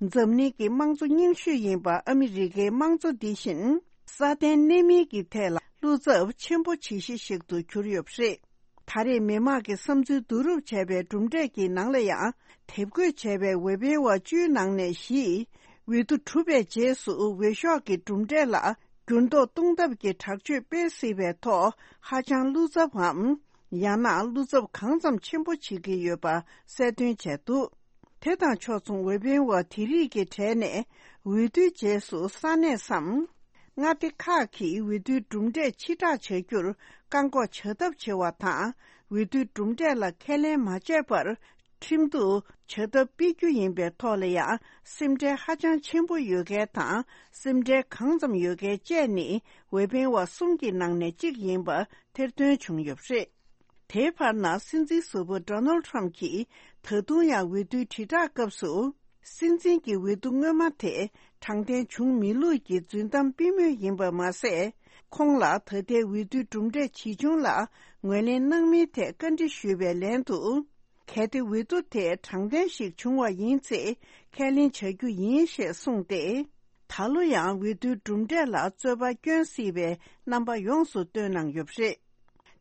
འཛམ་གླིང་གི་དམངས་གཙོ་རྙིང་ཤོས་ཡིན་པ་ཨ་མི་རི་ཀའི་དམངས་གཙོ་འདི་བཞིན། སྲ་བརྟན་གནས་མིན་གྱི་ཐད་ལ་བློ་འཚབ་ཆེན་པོ་བྱེད་གཞི་ཞིག་ཏུ་གྱུར་ཡོད་པ་རེད། ད་རེས་མི་མང་གི་བསམ་ཚུལ་བསྡུ་རུབ་བྱས་པའི་གྲུབ་འབྲས་ཀྱི་ནང་ལ་ཡང་། དེབ་འགོད་བྱས་པའི་འོས་འཕེན་བ་བཅུའི་ནང་ནས་བཞི། འོས་བསྡུ་གྲུབ་པའི་རྗེས་སུ་འོས་ཤོག་གི་གྲུབ་འབྲས་ལ་འགྱུར་ལྡོག་གཏོང་ཐབས་ཀྱི་དྲག་སྤྱོད་སྤེལ་སྲིད་པའི་ཐོག་ཧ་ཅང་བློ་འཚབ་བམ། ཡང་ན་བློ་འཚབ་གང་ཙམ་ཆེན་པོ་བྱེད་ཀྱི་ཡོད་པ་གསལ་སྟོན་བྱས་འདུག་དེ་དང་ཕྱོགས་མཚུངས་འོས་འཕེན་བ་དེ་རིགས་ཀྱི་གྲས་ནས་འོས་བསྡུའི་རྗེས་སུ་ས་གནས་སམ། མངའ་སྡེ་ཁག་གིས་འོས་བསྡུའི་གྲུབ་འབྲས་ཕྱིར་བསྒྲགས་བྱ་རྒྱུར་བཀག་འགོག་བྱ་ཐབས་བྱེད་པ་དང་། འོས་བསྡུའི་གྲུབ་འབྲས་ལ་ཁས་ལེན་མ་བྱས་པར་ཁྲིམས་གཏུག་བྱ་ཐབས་སྤེལ་རྒྱུ་ཡིན་པའི་ཐོག་ལ་ཡང་། སེམས་ཁྲལ་ཧ་ཅང་ཆེན་པོ་ཡོད་མཁན་དང་། སེམས་ཁྲལ་གང་ཙམ་ཡོད་མཁན་བཅས་ནི་འོས་འཕེན་བ་གསུམ་གྱི་ནང་ནས་གཅིག་ཡིན་པ་ཐེར་འདོན་བྱུང་ཡོད་པ་རེད། དེའི་བར་ན་སྲིད་འཛིན་ཟུར་པ་ཌོ་ནལ་ཁྲམ་གྱིས་ད་དུང་ཡང་འོས་བསྡུའི་དྲིལ་བསྒྲགས་སྐབས་སུ། སྲིད་འཛིན་གྱི་འོས་བསྡུ་སྔོན་མ་དེ་དྲང་བདེན་བྱུང་མེད་ལུགས་ཀྱི་རྫུན་གཏམ་སྤེལ་མུས་ཡིན་པ་མ་ཟད། ཁོང་ལ་ད་ལྟའི་འོས་བསྡུའི་གྲུབ་འབྲས་ཇི་བྱུང་ལ་ངོས་ལེན་གནང་མིན་ཐད་བཀའ་འདྲི་ཞུས་པའི་ལན་དུ། གལ་ཏེ་འོས་བསྡུ་དེ་དྲང་བདེན་ཞིག་བྱུང་བ་ཡིན་ཚེ་ཁས་ལེན་བྱ་རྒྱུ་ཡིན་ཞེས་གསུངས་ཏེ། ད་ལོ་ཡང་འོས་བསྡུའི་གྲུབ་འབྲས་ལ་རྩོད་པ་སྐྱོན་སྲིད་པའི་རྣམ་པ་ཡོངས་སུ་སྟོན་གནང་ཡོད་པ་རེད།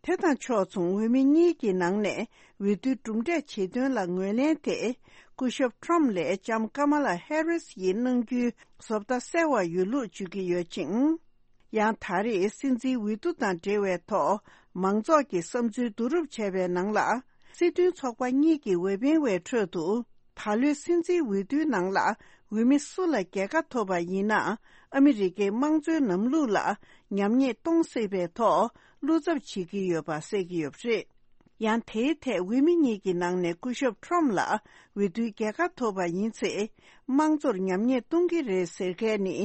དེ་དང་ཕྱོགས་མཚུངས་འོས་མི་གཉིས་ཀྱི་ནང་ནས་འོས་བསྡུའི་གྲུབ་འབྲས་ཇི་ཐོན་ལ་ངོས་ལེན་དེ། སྐུ་ཞབས་ཁྲོམ་ལས་ལྕམ་ཀ་མ་ལ་ཧེ་རིས་ཡིས་གནང་རྒྱུའི་བཟོ་ལྟ་གསལ་བ་ཡོད་ལུགས་བརྗོད་ཀྱི་ཡོད་ཅིང་། ཡང་ད་རེས་སྲིད་འཛིན་འོས་བསྡུ་དང་འབྲེལ་བའི་ཐོག་མང་ཚོགས་ཀྱི་བསམ་ཚུལ་བསྡུ་རུབ་བྱས་པའི་ནང་ལ། སྲིད་དོན་ཚོགས་པ་གཉིས་ཀྱི་འོས་འཕེན་བའི་ཁྲོད་དུ། ད་ལོའི་སྲིད་འཛིན་འོས་བསྡུའི་ནང་ལ་ འོས་མི་སུ་ལ་རྒྱལ་ཁ་ཐོབ་པ་ཡིན་ན། ཨ་མི་རི་ཀའི་དམངས་གཙོའི་ལམ་ལུགས་ལ་ཉམས་ཉེས་གཏོང་སྲིད་པའི་ཐོག་བློ་འཚབ་བྱེད་ཀྱི་ཡོད་པ་གསལ་གྱི་ཡོད་པ་རེད། ཡང་དེའི་ཐད་འོས་མི་གཉིས་ཀྱི་ནང་ནས་སྐུ་ཞབས་ཁྲོམ་ལ་འོས་བསྡུའི་རྒྱལ་ཁ་ཐོབ་པ་ཡིན་ཚེ། དམངས་གཙོར་ཉམས་ཉེས་གཏོང་གི་རེད་ཟེར་མཁན་ནི།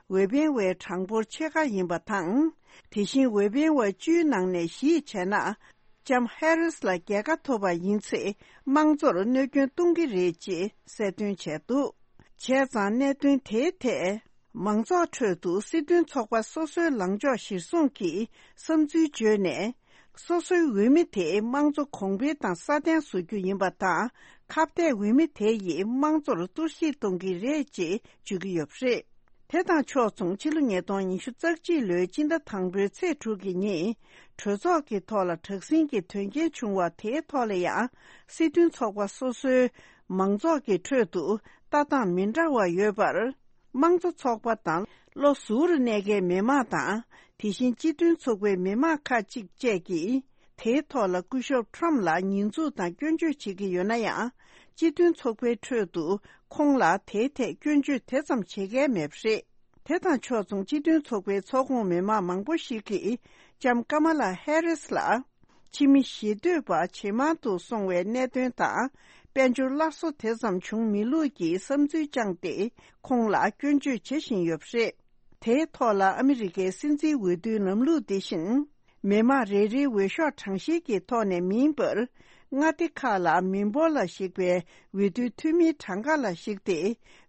འོས་འཕེན་བའི་གྲངས་འབོར་ཕྱེད་ཀ་ཡིན་པ་དང་། དེ་བཞིན་འོས་འཕེན་བ་བཅུའི་ནང་ནས་བཞི་བྱས་ན། ལྕམ་ཧེ་རིས་ལ་རྒྱལ་ཁ་ཐོབ་པ་ཡིན་ཚེ། དམངས་གཙོར་གནོད་སྐྱོན་གཏོང་གི་རེད་ཅེས་གསལ་སྟོན་བྱས་འདུག་བྱས་ཙང་། གནད་དོན་དེའི་ཐད། མང་ཚོགས་ཁྲོད་དུ་སྲིད་དོན་ཚོགས་པ་སོ་སོའི་ལངས་ཕྱོགས་གཞིར་བཟུང་གིས་བསམ་ཚུལ་བརྗོད་ནས། སོ་སོའི་འོས་མི་དེ་དམངས་གཙོ་གོང་འཕེལ་དང་སྲ་བརྟན་བཟོ་རྒྱུ་ཡིན་པ་དང་། ཁ་གཏད་འོས་མི་དེ་ཡིས་དམངས་གཙོར་གཏོར་བཤིག་གཏོང་གི་རེད་ཅེས་བརྗོད་ཀྱི་ཡོད་པ་རེད། དེ་དང་ཕྱོགས་མཚུངས། ཕྱི་ལོ་ཉིས་སྟོང་ཉི་ཤུ་རྩ་གཅིག་ལོའི་སྤྱི་ཟླ་དང་པོའི་ཚེས་དྲུག་གི་ཉིན། གྲོས་ཚོགས་ཀྱི་ཐོག་ལ་དྲག་ཟིང་གི་དོན་རྐྱེན་བྱུང་བ་དེའི་ཐོག་ལ་ཡང་། སྲིད་དོན་ཚོགས་པ་སོ་སོའི་མང་ཚོགས་ཀྱི་ཁྲོད་དུ་ལྟ་སྟངས་མི་འདྲ་བ་ཡོད་པར། དམངས་གཙོ་ཚོགས་པ་དང་། བློ་གཟུ་བོར་གནས་མཁན་མི་མང་དང་། དེ་བཞིན་སྤྱི་མཐུན་ཚོགས་པའི་མི་མང་ཁག་ཅིག་བཅས་ཀྱིས། དེའི་ཐོག་ལ་སྐུ་ཞབས་ཁྲོམ་ལ་ཉེས་འཛུགས་དང་སྐྱོན་བརྗོད་བྱེད་ཀྱི་ཡོད་ན་ཡང་། སྤྱི་མཐུན་ཚོགས་པའི་ཁྲོད་དུ་ཁོང་ལ་དེའི་ཐད་སྐྱོན་བརྗོད་དེ་ཙམ་བྱེད་མཁན་མེད་པ་རེད། དེ་དང་ཕྱོགས་མཚུངས། སྤྱི་མཐུན་ཚོགས་པའི་ཚོགས་ཁོངས་མི་མང་མང་པོ་ཞིག་གིས་ལྕམ་ཀ་མ་ལ་ཧེ་རིས་ལ། ཕྱི་མི་ཞེ་འདོད་པ་ཇེ་མང་དུ་སོང་བའི་གནད་དོན་དང་། དཔལ་འབྱོར་སླར་གསོ་དེ་ཙམ་བྱུང་མེད་ལུགས་ཀྱི་བསམ་ཚུལ་བཅངས་ཏེ། ཁོང་ལ་སྐྱོན་བརྗོད་བྱེད་བཞིན་ཡོད་པ་རེད། དེའི་ཐོག་ལ་ཨ་མི་རི་ཀའི་སྲིད་འཛིན་འོས་བསྡུའི་ལམ་ལུགས་འདི་བཞིན། མི་མང་རེ་རེའི་འོས་ཤོག་གྲངས་བཤེར་གྱི་ཐོག་ནས་མིན་པར། མངའ་སྡེ་ཁག་ལ་མི་འབོར་ལ་གཞིགས་པའི་འོས་བསྡུའི་འཐུས་མིའི་གྲངས་ཀ་ལ་གཞིགས་ཏེ་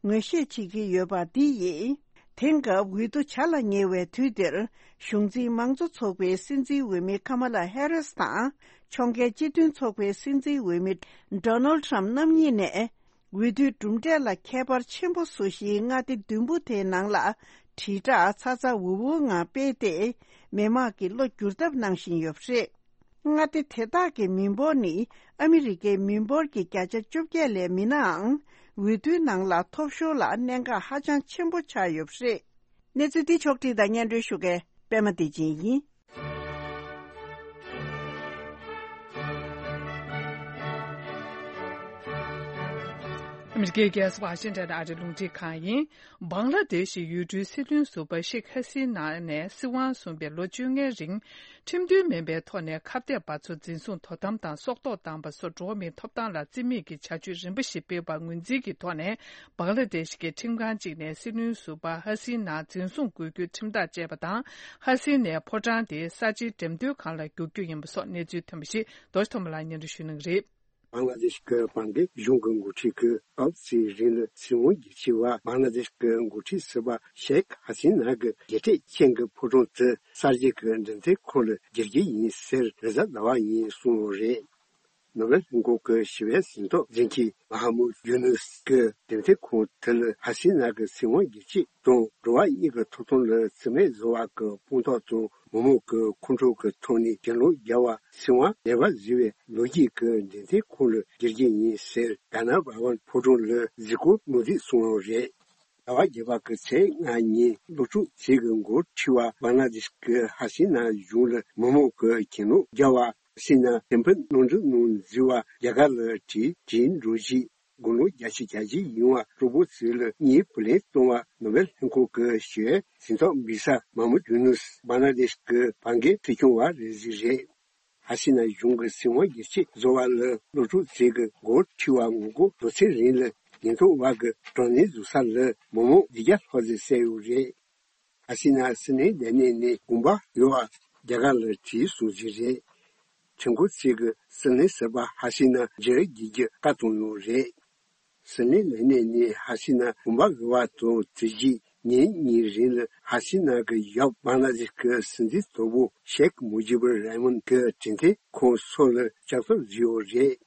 ངོས་བཞེས་བྱེད་ཀྱི་ཡོད་པ་འདི་ཡིས། དེང་སྐབས་འོས་བསྡུ་བྱ་ལ་ཉེ་བའི་དུས་འདིར། གཞུང་འཛིན་དམངས་གཙོ་ཚོགས་པའི་སྲིད་འཛིན་འོས་མི་ཁ་མ་ལ་ཧེ་རིས་དང་། ཕྱོགས་འགལ་སྤྱི་མཐུན་ཚོགས་པའི་སྲིད་འཛིན་འོས་མི་ཌོ་ནལ་ཊམ་རྣམ་གཉིས་ནས། འོས་བསྡུའི་གྲུབ་འབྲས་ལ་ཁྱད་པར་ཆེན་པོ་བཟོ་གཞིའི་མངའ་སྡེ་བདུན་པོ་དེའི་ནང་ལ། དྲིལ་བསྒྲགས་ཚ་ཚ་འུར་འུར་ངང་སྤེལ་ཏེ། མི་མང་གི་བློ་བསྒྱུར་ཐབས་གནང་བཞིན་ཡོད་པ་རེད། མངའ་སྡེ་དེ་དག་གི་མི་འབོར་ནི་ཨ་མི་རི་ཀའི་མི་འབོར་གྱི་བརྒྱ་ཆ་བཅོ་བརྒྱད་ལས་མིན་ནའང་། འོས་བསྡུའི་ནང་ལ་ཐོབ་ཤོར་ལ་གནད་འགག་ཧ་ཅང་ཆེན་པོ་ཆགས་ཡོད་པ་རེད། གནས་ཚུལ་འདི་ཕྱོགས་བསྒྲིགས་དང་སྙན་སྒྲོན་ཞུ་མཁན་པད་མ་བདེ་ཆེན་ཡིན། ཨ་མི་རི་ཀའི་རྒྱལ་ས་ཝ་ཤིང་ཊོན་ཨ་རི་རླུང་འཕྲིན་ཁང་ཡིན། བང་ལ་དེ་ཤི་ཡུལ་གྲུའི་སྲིད་བློན་ཟུར་པ་ཤེག་ཧ་སི་ན་ནས་སྲིད་དབང་བཟུང་བའི་ལོ་བཅོ་ལྔའི་རིང་། ཁྲིམས་མཐུན་མིན་པའི་ཐོག་ནས་ཁ་གཏད་པ་ཚོ་འཛིན་བཟུང་དོ་དམ་དང་སྲོག་ཐོག་བཏང་པ་སོགས་འགྲོ་བ་མིའི་ཐོབ་ཐང་ལ་བརྩི་མེད་ཀྱི་བྱ་སྤྱོད་རིམ་པ་ཞིག་སྤེལ་བར་ངོས་འཛིན་གྱི་ཐོག་ནས། བང་ལ་དེ་ཤི་གི་ཁྲིམས་ཁང་གཅིག་ནས་སྲིད་བློན་ཟུར་པ་ཧ་སི་ན་འཛིན་བཟུང་དགོས་རྒྱུའི་ཁྲིམས་ཐག་བཅད་པ་དང་། ཧ་སི་ནའི་ཕོ་བྲང་དེ་ས་ཆའི་འགྲེམས་སྟོན་ཁང་ལ་བསྒྱུར་རྒྱུ་ཡིན་པ་སོགས་གནས་ཚུལ་ཐོན་པ་ཞིག་རྡོ་རྗེ་ཐོགས་མེད་ལགས་སྙན་སྒྲོན་ཞུ་གནང་གི་རེད། བང་ལ་དེ་ཤི་གི་བང་སྒེར་གཞུང་གི་འགོ་ཁྲིད་ཀྱིས་སྐབས་གཅིག་རིང་ལ་སྲིད་དབང་སྒེར་གཅོད་པ་བང་ལ་དེ་ཤི་གི་འགོ་ཁྲིད་ཟུར་པ་ཤེག་ཧ་སི་ན་གི་རྒྱལ་ཁྲིམས་ཅན་གྱི་ཕོ་བྲང་དེ་གསར་བརྗེ་གི་འགྲེམས་སྟོན་ཁང་ལ་བསྒྱུར་གྱི་ཡིན་ཟེར་རེས་གཟའ་ཟླ་བ་ཉིན་གསུངས་ཡོད་རེད། ནོ་བེལ་ལྷན་ཁང་གི་ཞི་བའི་གཟེངས་རྟགས་འཛིན་མཁན་མ་ཧ་མུད་ཡུ་ནུས་ཀྱིས་འགྲེམས་སྟོན་ཁང་དེ་ལ་ཧ་སི་ན་གི་སྲིད་དབང་སྒེར་གཅོད་དང་འགྲོ་བ་གཉིས་ཀྱི་ཐོབ་ཐང་ལ་བརྩི་མེད་བཟོ་བ་གི་དཔང་རྟགས་དང་མི་མང་གི་ཁོང་ཁྲོ་གི་ཐོག་ནས་གྱེན་ལོག་བརྒྱབ་པ་སྲིད་དབང་ལེགས་པར་བཟོས་པའི་ལོ་རྒྱུས་ཀྱི་འགྲེམས་སྟོན་ཁང་ལ་བསྒྱུར་གྱི་ཡིན་ཟེར་ག་ན་བྷ་ཝན་ཕོ་བྲང་ལ་གཟིགས་སྐོར་ངོ་སྤྲོད་གསུངས་ཡོད་རེད། ཟླ་བ་བརྒྱད་པ་གི་ཚེས་ལྔ་ཉིན་སློབ་ཕྲུག་ཚོས་ཀྱི་འགོ་ཁྲིད་པ་བང་ལ་དེ་ཤི་གི་ཧ་སི་ན་གཞུང་ལ་མི་མང་གི་གྱེན་ལོག་བརྒྱབ་པ། ཧ་སི་ན་སེམས་ཕམ་གནང་གྲབས་གནང་ཟེར་བ་རྒྱ་གར་ལ་བྲིས་བྲིས་འགྲོ་རྗེས་དགུང་ལོ་བརྒྱད་ཅུ་གྱ་གཅིག་ཡིན་པ་སྤྲང་པོ་ཚོ་ལ་གཉིས་བུ་ལོན་གཏོང་བ་ནོ་བེལ་ལྷན་ཁང་གི་ཞི་བའི་གཟེངས་རྟགས་འབུལ་ས་མ་མུད་ཡུ་ནུས་བང་ལ་དེ་ཤི་གི་བང་སྒེར་སྲིད་སྐྱོང་བ་རེད་ཟེར་རེད། ཧ་སི་ན་གཞུང་གི་སྲིད་དབང་སྒེར་གཅོད་བཟོ་བ་ལ་སློབ་ཕྲུག་ཚོས་ཀྱི་འགོ་ཁྲིད་པ་ངོ་རྒོལ་དོན་ཚན་རིང་ལ་ཉེན་རྟོག་པ་གི་དྲག་གནོན་བཟོ་ས་ལ་མི་མང་བདུན་བརྒྱ་ལྷག་ཙམ་བསད་ཡོད་རེད། ཧ་སི་ན་སྲིད་བློན་ལས་གནས་ནས་དགོངས་པ་ཡོད་པ་རྒྱ་གར་ལ་བྲིས་སོང་ཟིག་རེད། ཁྲིམས་ཁང་ཚོས་ཀྱི་སྲིད་བློན་ཟུར་པ་ཧ་སི་ན་མཇལ་རྒྱུ་གི་བཀའ་བཏང་ཡོད་རེད། སྲིད་བློན་ལས་གནས་ནས་ཧ་སི་ན་དགོངས་པ་ཡོད་པ་དང་དེ་རྗེས་ཉིན་གཉིས་རིང་ལ་ཧ་སི་ན་གི་ཡབ་བང་ལ་དེ་ཤི་གི་སྲིད་འཛིན་དོན་གྲུབ་ཤེག་མུ་ཇི་བུར་ར་མན་གི་འགྲེམས་སྟོན་ཁང་སོགས་ལ་ལྕགས་ཐབ་བཟོས་ཡོད་རེད།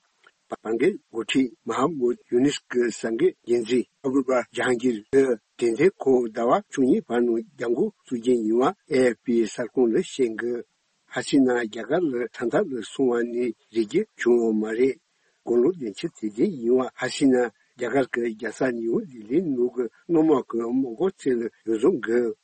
བང་སྒེར་འགོ་ཁྲིད་མ་ཧ་མུད་ཡུ་ནིས་ཀྱི་གསར་འགོད་འགན་འཛིན་ཨ་བུ་བ་ཇ་ཧང་གིར་གྱིས་འགྲེམས་སྟོན་ཁང་ཟླ་བ་བཅུ་གཉིས་བར་ནང་རྒྱབ་འགོག་བཙུགས་རྒྱུ་ཡིན་པ་ཨེ་ཨེཕ་པི་གསར་ཁང་ལ་བཤད་འདུག་ཧ་སི་ན་རྒྱ་གར་ལ་ཐ་ཐར་ལ་སོང་བ་ནི་རིགས་རྒྱུད་བྱུང་ཡོད་མ་རེད། དགུང་ལོ་བདུན་ཅུ་དེ་ཙམ་ཡིན་པ་ཧ་སི་ན་རྒྱ་གར་གྱི་རྒྱལ་ས་ནིའུ་ལྡི་ལིའི་ནང་གི་སྣོལ་མ་གི་མི་འགོ་ཚོ་ལ་འོས་འཚམ་དགོས།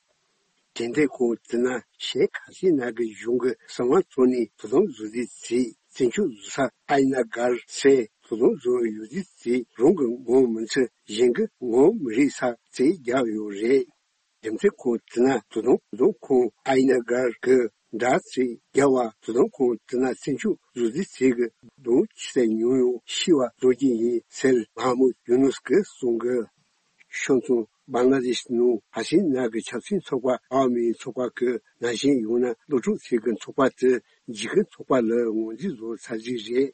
འགྲེམས་སྟོན་ཁང་དེ་ན་ཤེག་ཧ་སི་ན་གི་གཞུང་གི་གསང་བ་ཐོག་ནས་དོ་དམ་བཟོ་རྩིས་བྱས་བཙན་བྱོལ་བཟོ་ས་ཨ་ཡི་ན་གར་སེ་ དོ་དམ་བཟོ་ཡོད་རྩིས་རྩིས་རང་གི་ངོ་མི་ཚུད་གཞན་གྱི་ངོ་མི་རིག་ས་རྩིས་རྒྱག་ཡོད་རེད། རྒྱུ་མཚན་ཁོང་དེ་ན་དོ་དམ་དོ་དམ་ཁོང་ཨའི་ན་གར་གྱི་འདྲ་རྩིས་རྒྱག་པ་དོ་དམ་ཁོང་དེ་ན་སེམས་ཤུགས་བཟོ་རྩིས་རྩིས་ཀྱི་གདོང་ཆི་ས་ཉུང་ཡོང་ཤི་བ་བཟོ་གི་ཡིན་ཟེར་མ་མོ་ཡུ་ནུས་ཀྱིས་གསུང་གི་ཤང་ཚུང་བང་ལ་དེཤ་ནང་ཕ་ཤིང་ནགས་ཀྱི་ཆབ་སྲིད་ཚོགས་པ་ཨ་མིའི་ཚོགས་པ་ཀྱི་ནང་བཞིན་ཡོང་ན་སློབ་ཕྲུག་ཚོས་ཀྱི་ཚོགས་པ་དེ་འཇིགས་སྐུལ་ཚོགས་པ་ལ་ངོས་འཛིན་བཟོ་ཚར་གྱི་རེད།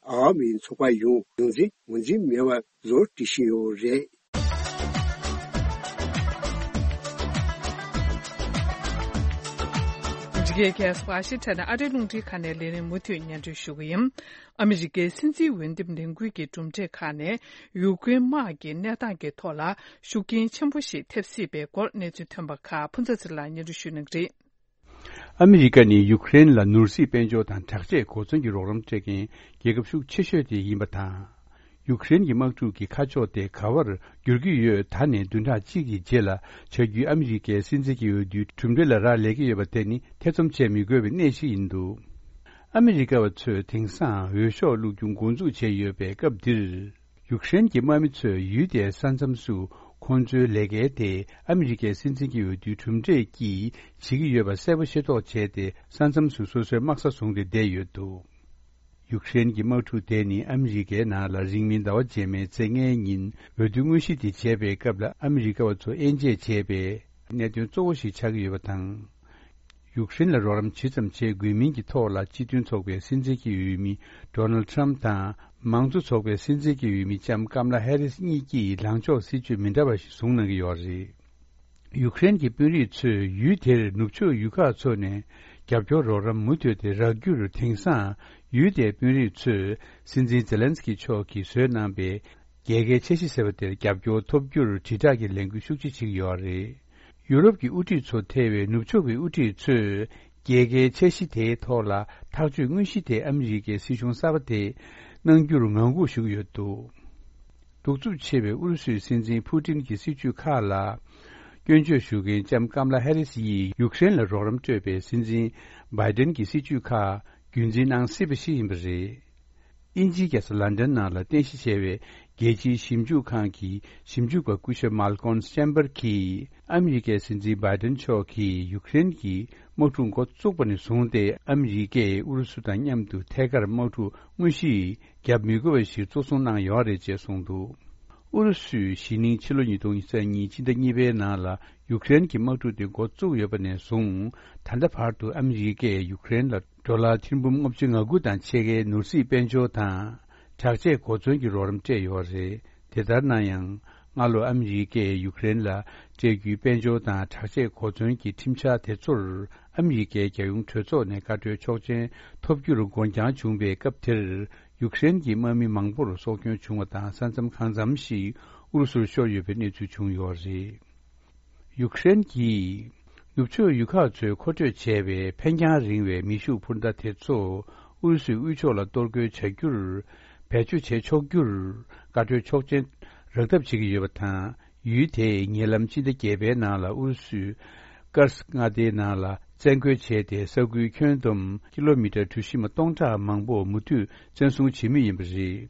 ཨ་མིའི་ཚོགས་པ་ཡང་རྒྱུ་མཚན་ངོས་འཛིན་མེད་པ་བཟོ་བྲིས་བཞིན་ཡོད་རེད། འཇིགས་སྐུལ་ཁ་སང་ཨ་ཤི་ཐ་ན་ཨ་རིའི་རླུང་འཕྲིན་ཁང་ནས་ལས་རིམ་མུ་མཐུད་སྙན་སྒྲོན་ཞུ་གི་ཡིན། ཨ་མི་རི་ཀའི་སྲིད་འཛིན་འོས་འདེམས་ལས་འགུལ་གྱི་གྲུབ་འབྲས་ཁག་ནས་ཡུཀ་རེན་དམག་གི་གནས་སྟངས་ཀྱི་ཐོག་ལ་ཤུགས་རྐྱེན་ཆེན་པོ་ཞིག་ཐེབས་སྲིད་པའི་སྐོར་གནས་ཚུལ་ཐོན་པ་ཁག་ཕུན་ཚོགས་ཚེ་རིང་ལགས་སྙན་སྒྲོན་ཞུ་གནང་གི་རེད། ཨ་མི་རི་ཀ་ནི་ཡུཀ་རེན་ལ་ནོར་སྲིད་དཔལ་འབྱོར་དང་དྲག་ཆས་གོ་མཚོན་གྱི་རོགས་རམ་སྤྲད་མཁན་རྒྱལ་ཁབ་ཤུགས་ཆེ་ཤོས་དེ་ཡིན་པ་དང་། ཡུཀ་རེན་གྱི་དམག་འཁྲུག་གི་ཁ་ཕྱོགས་དེ་ག་བར་འགྱུར་གྱི་ཡོད། ད་ནས་བདུན་ཕྲག་གཅིག་གི་རྗེས་ལ་བྱ་རྒྱུའི་ཨ་མི་རི་ཀའི་སྲིད་འཛིན་གྱི་འོས་བསྡུའི་གྲུབ་འབྲས་ལ་རག་ལས་ཀྱི་ཡོད་པ་དེ་ནི་ཐེ་ཚོམ་བྱེད་མི་དགོས་པའི་གནས་ཤིག་ཡིན་འདུག་ཨ་མི་རི་ཀ་བ་ཚོས་དེང་སང་འོས་ཤོག་བླུག་རྒྱུ་འགོ་འཛུགས་བྱས་ཡོད་པའི་སྐབས་འདིར། ཡུཀ་རེན་གྱི་དམག་མི་ཚོས་ཡུལ་དེའི་ས་མཚམས་སུ་ཁོང་ཚོའི་ལས་ཀའི་ཐད་ཨ་མི་རི་ཀའི་སྲིད་འཛིན་གྱི་འོས་བསྡུའི་གྲུབ་འབྲས་ཀྱིས་བྱེད་ཀྱི་ཡོད་པ་གསལ་པོ་ཤེས་རྟོགས་བྱས་ཏེ། ས་མཚམས་སུ་སོ་སོའི་དམག་ས་བཟུང་སྟེ་བསྡད་ཡོད་འདུག་ཡུཀ་རེན་གྱི་དམག་འཁྲུག་དེ་ནི་ཨ་མི་རི་ཀའི་ནང་ལ་རིང་མིན་ཟླ་བ་རྗེས་མའི་ཚེས་ལྔའི་ཉིན་འོས་བསྡུ་དངོས་གཞི་དེ་བྱས་པའི་སྐབས་ལ་ཨ་མི་རི་ཀ་བ་ཚོ་དབྱེ་འབྱེད་བྱས་པའི་གནད་དོན་གཙོ་བོ་ཞིག་ཆགས་ཀྱི་ཡོད་པ་དང་། ཡུཀ་རེན་ལ་རོགས་རམ་ཇི་ཙམ་བྱེད་དགོས་མིན་གྱི་ཐོག་ལ་སྤྱི་མཐུན་ཚོགས་པའི་སྲིད་འཛིན་གྱི་འོས་མི་ཌོ་ནལ་ཌི་ཊརམ་ཕི་དང་། མང་གཙོ་ཚོགས་པའི་སྲིད་འཛིན་གྱི་འོས་མི་ལྕམ་ཀམ་ལ་ཧེ་རིས་གཉིས་ཀྱིས་ལངས་ཕྱོགས་སྲིད་ཇུས་མི་འདྲ་བ་ཞིག་བཟུང་གནང་གི་ཡོད་རེད། ཡུཀ་རེན་གྱི་དཔོན་རིགས་ཚོས་ཡུལ་དེར་ནུབ་ཕྱོགས་ཡུལ་ཁག་ཚོ་ནས་རྒྱབ་སྐྱོར་རོགས་རམ་མུ་མཐུད་དེ་རག་རྒྱུར། དེང་སང་ཡུལ་དེའི་དཔོན་རིགས་ཚོས་སྲིད་འཛིན་ཛེ་ལན་སི་ཀི་མཆོག་གིས་བཟོས་གནང་པའི་རྒྱལ་ཁའི་འཆར་གཞི་ཟེར་བ་དེར་རྒྱབ་སྐྱོར་ཐོབ་རྒྱུར་དྲིལ་བསྒྲགས་ཀྱི་ལས་འགུལ་ཤུགས་ཆེ་བྱེད་ཀྱི་ཡོད་རེད། ཡུ་རོབ་ཀྱི་དབུ་ཁྲིད་ཚོ་ཐེ་བའི་ནུབ་ཕྱོགས་ཀྱི་དབུ་ཁྲིད་ཚོས་རྒྱལ་ཁའི་འཆར་གཞི་དེའི་ཐོག་ལ་ཐག་གཅོད་དངོས་གཞི་དེ་ཨ་མི་རི་ཀའི་སྲིད་གཞུང་གསར་པ་དེས་གནང་རྒྱུར་ངང་སྒུག་ཞུ་གི་ཡོད་འདུག་གདུག་རྩུབ་ཆེ་བའི་ཨུ་རུ་སུའི་སྲིད་འཛིན་ཕུ་ཏིན་གྱི་སྲིད་ཇུས་ཁག་ལ་སྐྱོན་བརྗོད་ཞུ་མཁན་ལྕམ་ཀམ་ལ་ཧེ་རིས་ཡིས་ཡུཀ་རེན་ལ་རོགས་རམ་སྤྲོད་པའི་སྲིད་འཛིན་བྷའི་ཏན་གྱི་སྲིད་ཇུས་ཁག་རྒྱུན་འཛིན་གནང་སྲིད་པ་ཞིག་ཡིན་པ་རེད། དབྱིན་ཇིའི་རྒྱལ་ས་ལན་ཌན་ནང་ལ་རྟེན་གཞི་བྱས་པའི་རྒྱལ་སྤྱིའི་ཞིབ་འཇུག་ཁང་གི་ཞིབ་འཇུག་པ་སྐུ་ཞབས་མཱལ་ཀོམ་ཅེམ་པར་གྱིས། ཨ་མི་རི་ཀའི་སྲིད་འཛིན་བྷའི་ཏན་མཆོག་གིས་ཡུཀ་རེན་གྱི་དམག་འཁྲུག་འགོ་བཙུགས་པ་ནས་བཟུང་སྟེ། ཨ་མི་རི་ཀས་ཨུ་རུ་སུ་དང་མཉམ་དུ་ཐད་ཀར་དམག་འཁྲུག་དངོས་གཞི་བརྒྱབ་མི་དགོས་པ་ཞིག་གཙོ་བཟུང་གནང་ཡོད་རེད་ཅེས་གསུངས་འདུག་ཨུ་རུ་སུས་གཞེས་ནིང་ཕྱི་ལོ་ཉིས་སྟོང་ཉི་ཤུ་རྩ་གཉིས་ཕྱི་ཟླ་གཉིས་པའི་ནང་ལ་ཡུཀ་རེན་གྱི་དམག་འཁྲུག་དེ་འགོ་བཙུགས་ཡོད་པ་ནས་བཟུང་། ད་ལྟ་བར་དུ་ཨ་མི་རི་ཀས་ཡུཀ་རེན་ལ་ཌོ་ལར་ཐེར་འབུམ་ལྔ་བཅུ་ང་དགུ་དང་ཕྱེད་ཀའི་ནོར་སྲིད་དཔལ་འབྱོར་དང་། དྲག་ཆས་གོ་མཚོན་གྱི་རོགས་རམ་སྤྲད་ཡོད་རེད། དེ་ལྟར་ན་ཡང་། སྔ་ལོ་ཨ་མི་རི་ཀས་ཡུཀ་རེན་ལ་སྤྲད་རྒྱུའི་དཔལ་འབྱོར་དང་དྲག་ཆས་གོ་མཚོན་གྱི་ཁྲིམས་འཆར་དེ་ཚོར་ཨ་མི་རི་ཀའི་རྒྱལ་ཡོངས་གྲོས་ཚོགས་ནས་བཀའ་འཁྲོལ་ཆོག་མཆན་ཐོབ་རྒྱུར་འགོར་འགྱངས་བྱུང་བའི་སྐབས་དེར། ཡུཀ་རེན་གྱི་དམག་མི་མང་པོར་སྲོག་སྐྱོན་བྱུང་བ་དང་། ས་མཚམས་གང་འཚམ་ཞིག་ཨུ་རུ་སུར་ཤོར་ཡོད་པའི་གནས་ཚུལ་བྱུང་ཡོད་རེད། ཡུཀ་རེན་གྱིས་ནུབ་ཕྱོགས་ཡུལ་ཁག་ཚོས་མཁོ་སྤྲོད་བྱས་པའི་འཕེན་རྒྱང་རིང་བའི་མེ་ཤུགས་འཕུར་མདའ་དེ་ཚོ་ཨུ་རུ་སུའི་དབུས་ཕྱོགས་ལ་གཏོར་རྒོལ་བྱ་རྒྱུར་བེད་སྤྱོད་བྱེད་ཆོག་རྒྱུར་བཀའ་འཁྲོལ་ཆོག་མཆན་རག་ཐབས་བྱེད་ཀྱི་ཡོད་པ་དང་། ཡུལ་དེས་ཉེ་ལམ་ཕྱི་ཟླ་བརྒྱད་པའི་ནང་ལ་ཨུ་རུ་སུས་ཀར་སི་མངའ་སྡེའི་ནང་ལ་བཙན་རྒོལ་བྱས་ཏེ། ས་ཁུལ་ཁྱོན་བསྡོམས་ཀི་ལོ་མི་ཊར་གྲུ་བཞི་མ་སྟོང་ཕྲག་མང་པོ་མུ་མཐུད་བཙན་བཟུང་བྱེད་མུས་ཡིན་པ་རེད།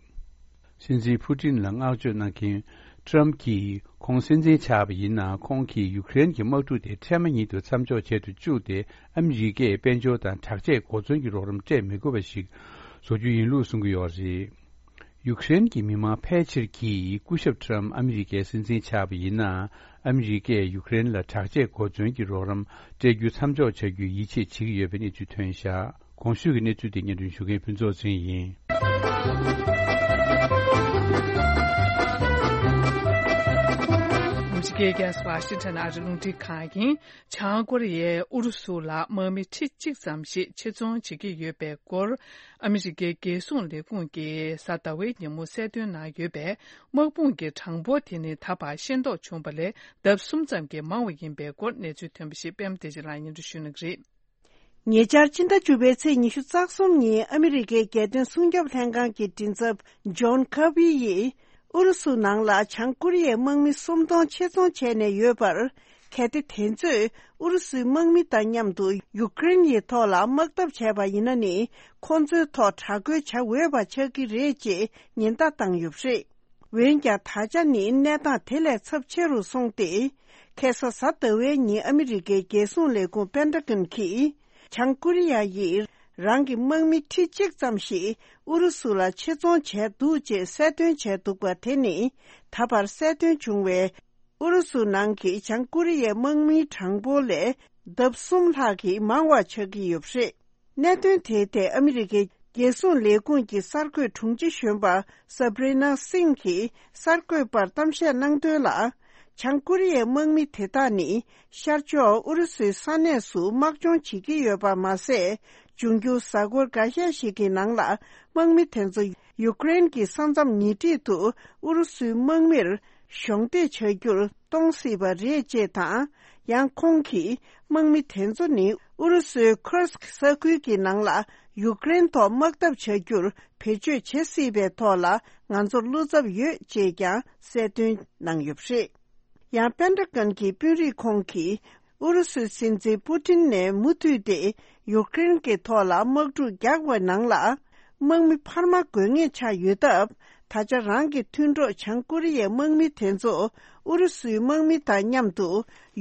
སྲིད་འཛིན་ཕུ་ཏིན་ལ་བསྔགས་བརྗོད་གནང་མཁན་ཊམ་གྱིས། ཁོང་སྲིད་འཛིན་ཆགས་པ་ཡིན་ན། ཁོང་གིས་ཡུཀ་རེན་གྱི་དམག་འཁྲུག་དེ་འཕྲལ་མ་ཉིད་དུ་མཚམས་འཇོག་བྱེད་དུ་བཅུག་སྟེ། ཨ་མི་རི་ཀས་དཔལ་འབྱོར་དང་དྲག་ཆས་གོ་མཚོན་གྱི་རོགས་རམ་སྤྲད་མི་དགོས་པ་ཞིག་བཟོ་རྒྱུ་ཡིན་ལུགས་གསུང་གི་ཡོད་རེད། ཡུཀ་རེན་གྱི་མི་མང་ཕལ་ཆེར་གྱིས། སྐུ་ཞབས་ཊམ་ཨ་མི་རི་ཀའི་སྲིད་འཛིན་ཆགས་པ་ཡིན་ན། ཨ་མི་རི་ཀས་ཡུཀ་རེན་ལ་དྲག་ཆས་གོ་མཚོན་གྱི་རོགས་རམ་སྤྲད་རྒྱུ་མཚམས་འཇོག་བྱ་རྒྱུའི་ཡིད་ཆེས་བྱེད་ཀྱི་ཡོད་པའི་གནས་ཚུལ་ཐོན་བཞག་གོང་ཞུས་ཀྱི་གནས་ཚུལ་དེ་སྙན་སྒྲོན་ཞུ་མཁན་ཕུན་ཚོགས་ཚེ་རིང་ཡིན། ཨ་མི་རི་ཀའི་རྒྱལ་ས་ཝ་ཤིང་ཊོན་ཨ་རིའི་རླུང་འཕྲིན་ཁང་ཡིན། བྱང་ཀོ་རི་ཡས་ཨུ་རུ་སུ་ལ་དམག་མི་ཁྲི་གཅིག་ཙམ་ཞིག་ཆེད་རྫོང་བྱེད་ཀྱི་ཡོད་པའི་སྐོར། ཨ་མི་རི་ཀའི་རྒྱལ་སྲུང་ལས་ཁུངས་ཀྱིས་གཟའ་ཟླ་བའི་ཉིན་མོ་གསལ་སྟོན་གནང་ཡོད་པས། དམག་དཔུང་གི་གྲངས་འབོར་དེ་ནི་ད་བར་ཤེས་རྟོགས་བྱུང་བ་ལས་ལྡབ་གསུམ་ཙམ་གྱིས་མང་བ་ཡིན་པའི་སྐོར་གནས་ཚུལ་ཐོན་པ་ཞིག་པད་མ་བདེ་ཆེན་ལགས་སྙན་སྒྲོན་ཞུ་གནང་གི་རེད། ཉེ་ཆར་ཕྱི་ཟླ་བཅུ་པའི་ཚེས་ཉི་ཤུ་རྩ་གསུམ་ཉིན་ཨ་མི་རི་ཀའི་རྒྱལ་དོན་སྲུང་སྐྱོབ་ལྷན་ཁང་གི་མགྲིན་ཚབ་ཇོན་ཁར་བྷི་ཡིས། ཨུ་རུ་སུ་ནང་ལ་བྱང་ཀོ་རི་ཡའི་དམག་མི་སུམ་སྟོང་ཆེད་རྫོང་བྱས་ནས་ཡོད་པར། གལ་ཏེ་དེ་ཚོས་ཨུ་རུ་སུའི་དམག་མི་དང་མཉམ་དུ་ཡུཀ་རེན་ཡི་ཐོག་ལ་དམག་འཐབ་བྱས་པ་ཡིན་ན་ནི། ཁོང་ཚོའི་ཐོག་དྲག་རྒོལ་བྱ་འོས་པ་ཆགས་ཀྱི་རེད་ཅེས་ཉེན་བརྡ་བཏང་ཡོད་པ་རེད། འོན་ཀྱང་། ད་ཆ་ནི་གནས་སྟངས་དེ་ལས་ཚབས་ཆེ་རུ་སོང་སྟེ། ཁ་སང་གཟའ་ཟླ་བའི་ཉིན་ཨ་མི་རི་ཀའི་རྒྱལ་སྲུང་ལས་ཁུངས་པེན་ཏ་གོན་གྱིས། བྱང་ཀོ་རི་ཡ་ཡིས་རང་གི་དམག་མི་ཁྲི་གཅིག་ཙམ་ཞིག་ཨུ་རུ་སུ་ལ་ཆེད་རྫོང་བྱས་འདུག་ཅེས་གསལ་སྟོན་བྱས་འདུག་པ་དེ་ནི། ད་བར་གསལ་སྟོན་བྱུང་བའི་ཨུ་རུ་སུ་ནང་གི་བྱང་ཀོ་རི་ཡའི་དམག་མིའི་གྲངས་འབོར་ལས་ལྡབ་གསུམ་ལྷག་གིས་མང་བ་ཆགས་ཀྱི་ཡོད་པ་རེད། གནད་དོན་དེའི་ཐད་ཨ་མི་རི་ཀའི་རྒྱལ་སྲུང་ལས་ཁུངས་ཀྱི་གསར་འགོད་དྲུང་ཆེ་གཞོན་པ་Sabrina Singh གིས་གསར་འགོད་པར་གཏམ་བཤད་གནང་དོན་ལ། བྱང་ཀོ་རི་ཡའི་དམག་མི་དེ་དག་ནི་ཤར་ཕྱོགས་ཨུ་རུ་སུའི་ས་གནས་སུ་དམག་སྦྱོང་བྱེད་ཀྱི་ཡོད་པ་མ་ཟད། འབྱུང་འགྱུར་གཟའ་འཁོར་འགའ་ཤས་ཤིག་གི་ནང་ལ་དམག་མི་དེ་ཚོ་ཡུཀ་རེན་གྱི་ས་མཚམས་ཉེ་འཁྲིས་དུ་ཨུ་རུ་སུའི་དམག་མིར་གཞོགས་འདེགས་བྱ་རྒྱུར་གཏོང་སྲིད་པ་རེད་ཅེས་དང་། ཡང་ཁོང་གིས་དམག་མི་དེ་ཚོ་ནི་ཨུ་རུ་སུའི་ཁུར་སྐ་ས་ཁུལ་གྱི་ནང་ལ་ཡུཀ་རེན་ཐོག་དམག་འཐབ་བྱ་རྒྱུར་བེད་སྤྱོད་བྱེད་སྲིད་པའི་ཐོག་ལ་ང་ཚོར་བློ་འཚབ་ཡོད་ཅེས་ཀྱང་གསལ་སྟོན་གནང་ཡོད་པ་རེད། ཡང་པེན་ཏ་གོན་གྱི་དཔོན་རིགས་ཁོང་གིས་ཨུ་རུ་སུའི་སྲིད་འཛིན་པུ་ཏིན་ནས་མུ་མཐུད་དེ་ཡུཀ་རེན་གྱི་ཐོག་ལ་དམག་འཁྲུག་རྒྱག་པའི་ནང་ལ། དམག་མི་འཕར་མ་དགོས་ངེས་ཆགས་ཡོད་སྟབས། ད་ཆ་རང་གི་མཐུན་གྲོགས་བྱང་ཀོ་རི་ཡའི་དམག་མི་དེ་ཚོ་ཨུ་རུ་སུའི་དམག་མི་དང་མཉམ་དུ་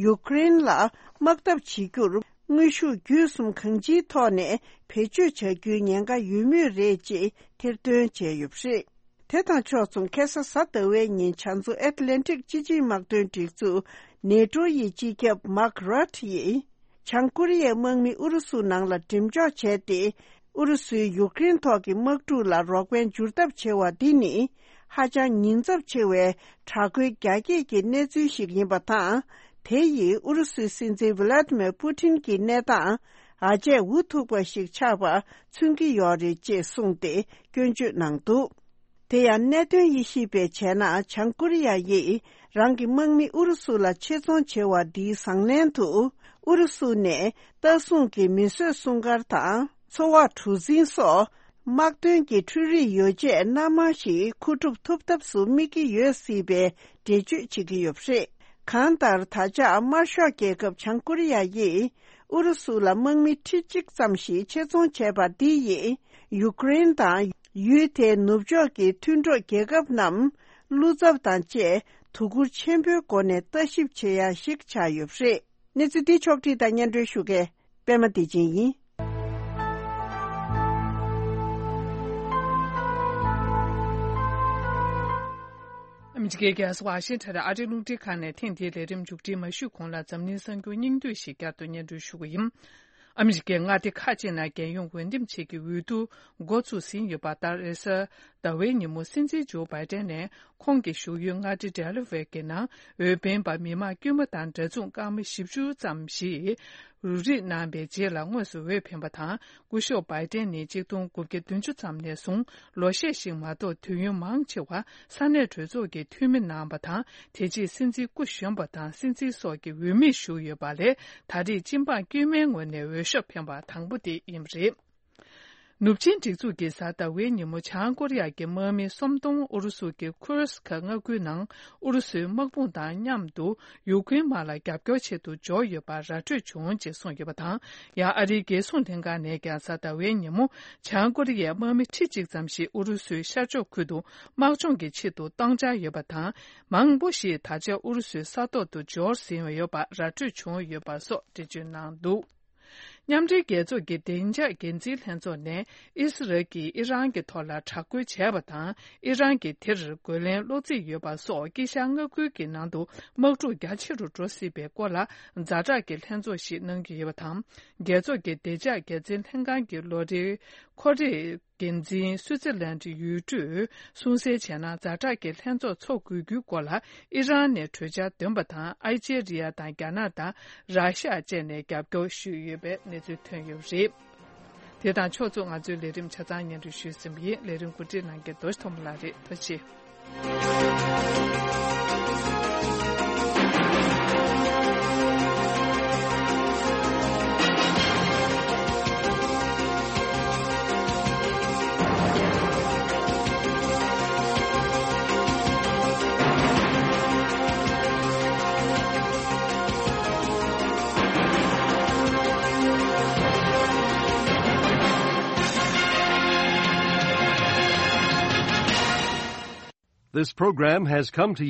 ཡུཀ་རེན་ལ་དམག་འཐབ་བྱེད་རྒྱུར་དངོས་ཤུགས་བརྒྱུད་གསུམ་གང་ཅིའི་ཐོག་ནས་བེད་སྤྱོད་བྱ་རྒྱུའི་ཉེན་ཁ་ཡོད་མུས་རེད་ཅེས་ཐེར་འདོན་བྱས་ཡོད་པ་རེད། དེ་དང་ཕྱོགས་མཚུངས་ཁ་སང་གཟའ་ཟླ་བའི་ཉིན་བྱང་མཚོ་ཨེཊ་ལན་ཊིག་སྤྱི་ཆིངས་དམག་དོན་སྒྲིག་འཛུགས་ནེ་ཊོ་ཡི་སྤྱི་ཁྱབ་མཱརྐ་རུཊ་ཡིས། བྱང་ཀོ་རི་ཡའི་དམག་མི་ཨུ་རུ་སུ་ནང་ལ་འགྲེམས་འཇོག་བྱས་ཏེ། ཨུ་རུ་སུའི་ཡུཀ་རེན་ཐོག་གི་དམག་འཁྲུག་ལ་རོགས་ཕན་བསྒྱུར་ཐབས་བྱེད་པ་འདི་ནི། ཧ་ཅང་ཉེན་ཚབས་ཆེ་བའི་དྲག་རྒོལ་རྒྱ་སྐྱེད་ཀྱི་གནས་ཚུལ་ཞིག་ཡིན་པ་དང་། དེ་ཡིས་ཨུ་རུ་སུའི་སྲིད་འཛིན་ཝི་ལ་ཏི་མེར་པུ་ཏིན་གྱི་གནས་སྟངས་ཨ་ཅེ་འུ་ཐུག་པ་ཞིག་ཆགས་པ་མཚོན་གྱི་ཡོད་རེད་ཅེས་གསུངས་ཏེ་སྐྱོན་བརྗོད་གནང་འདུག་དེ་ཡང་གནད་དོན་དབྱེ་ཞིབ་པས་བྱས་ན། བྱང་ཀོ་རི་ཡ་ཡིས་རང་གི་དམག་མི་ཨུ་རུ་སུ་ལ་ཆེད་རྫོང་བྱེད་པ་འདིའི་བཟང་ལན་དུ། ཨུ་རུ་སུ་ནས་ལྟ་སྲུང་གི་མི་གསོད་སྲུང་སྐར་དང་། འཚོ་བ་གྲུ་གཟིངས་སོགས་དམག་དོན་གྱི་འཕྲུལ་རིག་ཡོ་བྱད་སྣ་མང་ཞིག་མཁོ་སྒྲུབ་ཐུབ་ཐབས་སུ་དམིགས་ཀྱི་ཡོད་སྲིད་པའི་འགྲེལ་བརྗོད་བྱེད་ཀྱི་ཡོད་པ་རེད། གང་ལྟར། ད་ཆ་དམར་ཤོག་རྒྱལ་ཁབ་བྱང་ཀོ་རི་ཡ་ཡིས་ཨུ་རུ་སུ་ལ་དམག་མི་ཁྲི་གཅིག་ཙམ་ཞིག་ཆེད་རྫོང་བྱས་པ་འདི་ཡིས། ཡུཀ་རེན་དང་ཡུལ་དེའི་ནུབ་ཕྱོགས་ཀྱི་མཐུན་གྲོགས་རྒྱལ་ཁབ་རྣམས་བློ་འཚབ་དང་བཅས་དོ་ཁུར་ཆེན་པོའི་སྒོ་ནས་ལྟ་ཞིབ་བྱེད་ཡ་ཞིག་ཆགས་ཡོད་པ་རེད། གནས་ཚུལ་འདི་ཕྱོགས་བསྒྲིགས་དང་སྙན་སྒྲོན་ཞུ་མཁན་པད་མ་བདེ་ཆེན་ཡིན། ཨ་མི་རི་ཀའི་རྒྱལ་ས་ཝ་ཤིང་ཊོན་ཨ་རིའི་རླུང་འཕྲིན་ཁང་ནས་ཐེངས་འདིའི་ལས་རིམ་མཇུག་སྒྲིལ་མ་ཞུས་གོང་ལ། འཛམ་གླིང་གསར་འགྱུར་སྙིང་བསྡུས་ཤིག་བསྐྱར་དུ་སྙན་སྒྲོན་ཞུ་གི་ཡིན། ཨ་མི་རི་ཀའི་མངའ་སྡེ་ཁག་ཅིག་ནང་རྒྱལ་ཡོངས་འོས་འདེམས་བྱེད་ཀྱི་འོས་བསྡུ་འགོ་ཚུགས་ཟིན་ཡོད་པ་ལྟར། རེས་གཟའ་ཟླ་བའི་ཉིན་མོ་སྲིད་འཛིན་ཇོ་བྷའི་ཏན་ནས་ཁོང་གི་བཞུགས་ཡུལ་མངའ་སྡེ་ཌེ་ལ་ཝེར་གྱི་ནང་འོས་འཕེན་པ་མི་མང་དཀྱུས་མ་དང་འདྲ་མཚུངས་སྐར་མ་བཞི་བཅུ་ཙམ་ཞིག་རུ་སྒྲིག་གནང་བའི་རྗེས་ལ་དངོས་སུ་འོས་འཕེན་པ་དང་། སྐུ་ཞབས་བྷའི་ཏན་ནི་གཅིག་སྟོང་དགུ་བརྒྱ་བདུན་ཅུ་ཙམ་ནས་བཟུང་ལོ་ཤས་ཤིག་མ་གཏོགས་དུས་ཡུན་མང་ཆེ་བ་ས་གནས་གྲོས་ཚོགས་ཀྱི་འཐུས་མི་གནང་བ་དང་། དེ་རྗེས་སྲིད་འཛིན་སྐུ་གཞོན་པ་དང་སྲིད་འཛིན་སོགས་ཀྱི་འོས་མིར་བཞུགས་ཡོད་པ་ལས། ད་རེས་སྤྱི་འབངས་དཀྱུས་མའི་ངོས་ནས་འོས་ཤོག་འཕེན་པ་དང་པོ་དེ་ཡིན་པ་རེད། ནུབ་ཆིངས་སྒྲིག་འཛུགས་ཀྱིས་གཟའ་ཟླ་བའི་ཉིན་མོ་བྱང་ཀོ་རི་ཡ་གི་དམག་མི་སུམ་སྟོང་ཨུ་རུ་སུ་གི་ཁུར་སི་ཁ་མངའ་ཁུལ་ནང་ཨུ་རུ་སུའི་དམག་དཔུང་དང་མཉམ་དུ་ཡུ་ཁུན་དམག་ལ་རྒྱབ་སྐྱོར་ཆེད་དུ་འབྱོར་ཡོད་པ་ར་འཕྲོད་བྱུང་ཅེས་གསུངས་ཡོད་པ་དང་། ཡང་ཨ་རིའི་རྒྱལ་སྲུང་ལྷན་ཁང་ནས་ཀྱང་གཟའ་ཟླ་བའི་ཉིན་མོ་བྱང་ཀོ་རི་ཡའི་དམག་མི་ཁྲི་གཅིག་ཙམ་ཞིག་ཨུ་རུ་སུའི་ཤར་ཕྱོགས་ཁུལ་དུ་དམག་སྦྱོང་གི་ཆེད་དུ་གཏོང་འཆར་ཡོད་པ་དང་། མང་པོ་ཞིག་ད་ཆ་ཨུ་རུ་སུའི་ས་ཐོག་ཏུ་འབྱོར་ཟིན་ཡོད་པ་ར་འཕྲོད་བྱུང་ཡོད་པ་སོགས་འགྲེལ་བརྗོད་གནང་འདུག་མཉམ་འབྲེལ་རྒྱལ་ཚོགས་ཀྱི་བདེ་འཇགས་འགན་འཛིན་ལྷན་ཚོགས་ནས་ཨི་སི་རལ་གྱིས་ཨི་རན་གྱི་ཐོག་ལ་དྲག་རྒོལ་བྱས་པ་དང་། ཨི་རན་གྱིས་དེར་རྒོལ་ལན་སློག་རྩིས་ཡོད་པ་སོགས་དཀྱིལ་ཤར་མངའ་ཁུལ་གྱི་ནང་དུ་དམག་འཁྲུག་རྒྱ་ཆེ་རུ་འགྲོ་སྲིད་པའི་སྐོར་ལ་ཛ་དྲག་གི་ལྷན་ཚོགས་ཤིག་གནང་རྒྱུ་ཡོད་པ་དང་། རྒྱལ་ཚོགས་ཀྱི་བདེ་འཇགས་འགན་འཛིན་ལྷན་ཁང་གི་ལོ་རེའི་ཁོ་རེ་འགན་འཛིན་སུའུ་ཙི་ལན་ཌི་ཡུལ་གྲུས་གསུངས་གསལ་བྱས་ན། ཛ་དྲག་གི་ལྷན་ཚོགས་འཚོགས་དགོས་རྒྱུའི་སྐོར་ལ་ཨི་རན་ནས་གྲོས་འཆར་འདོན་པ་དང་། ཨལ་ཇེ་རི་ཡ་དང་རྒྱ་ནག་དང་ར་ཤ་བཅས་ནས་རྒྱབ་སྐྱོར་ཞུས་ཡོད་པའི་གནས་ཚུལ་ཐོན་ཡོད་པ་རེད། དེ་དང་ཕྱོགས་མཚུངས་ང་ཚོའི་ལས་རིམ་ཆ་ཚང་སྙན་སྒྲོན་ཞུས་ཟིན་པ་ཡིན། ལས་རིམ་གོ་སྒྲིག་གནང་མཁན་རྡོ་རྗེ་ཐོགས་མེད་ལགས་རེད། ཐུགས་རྗེ་ཆེ། This program has come to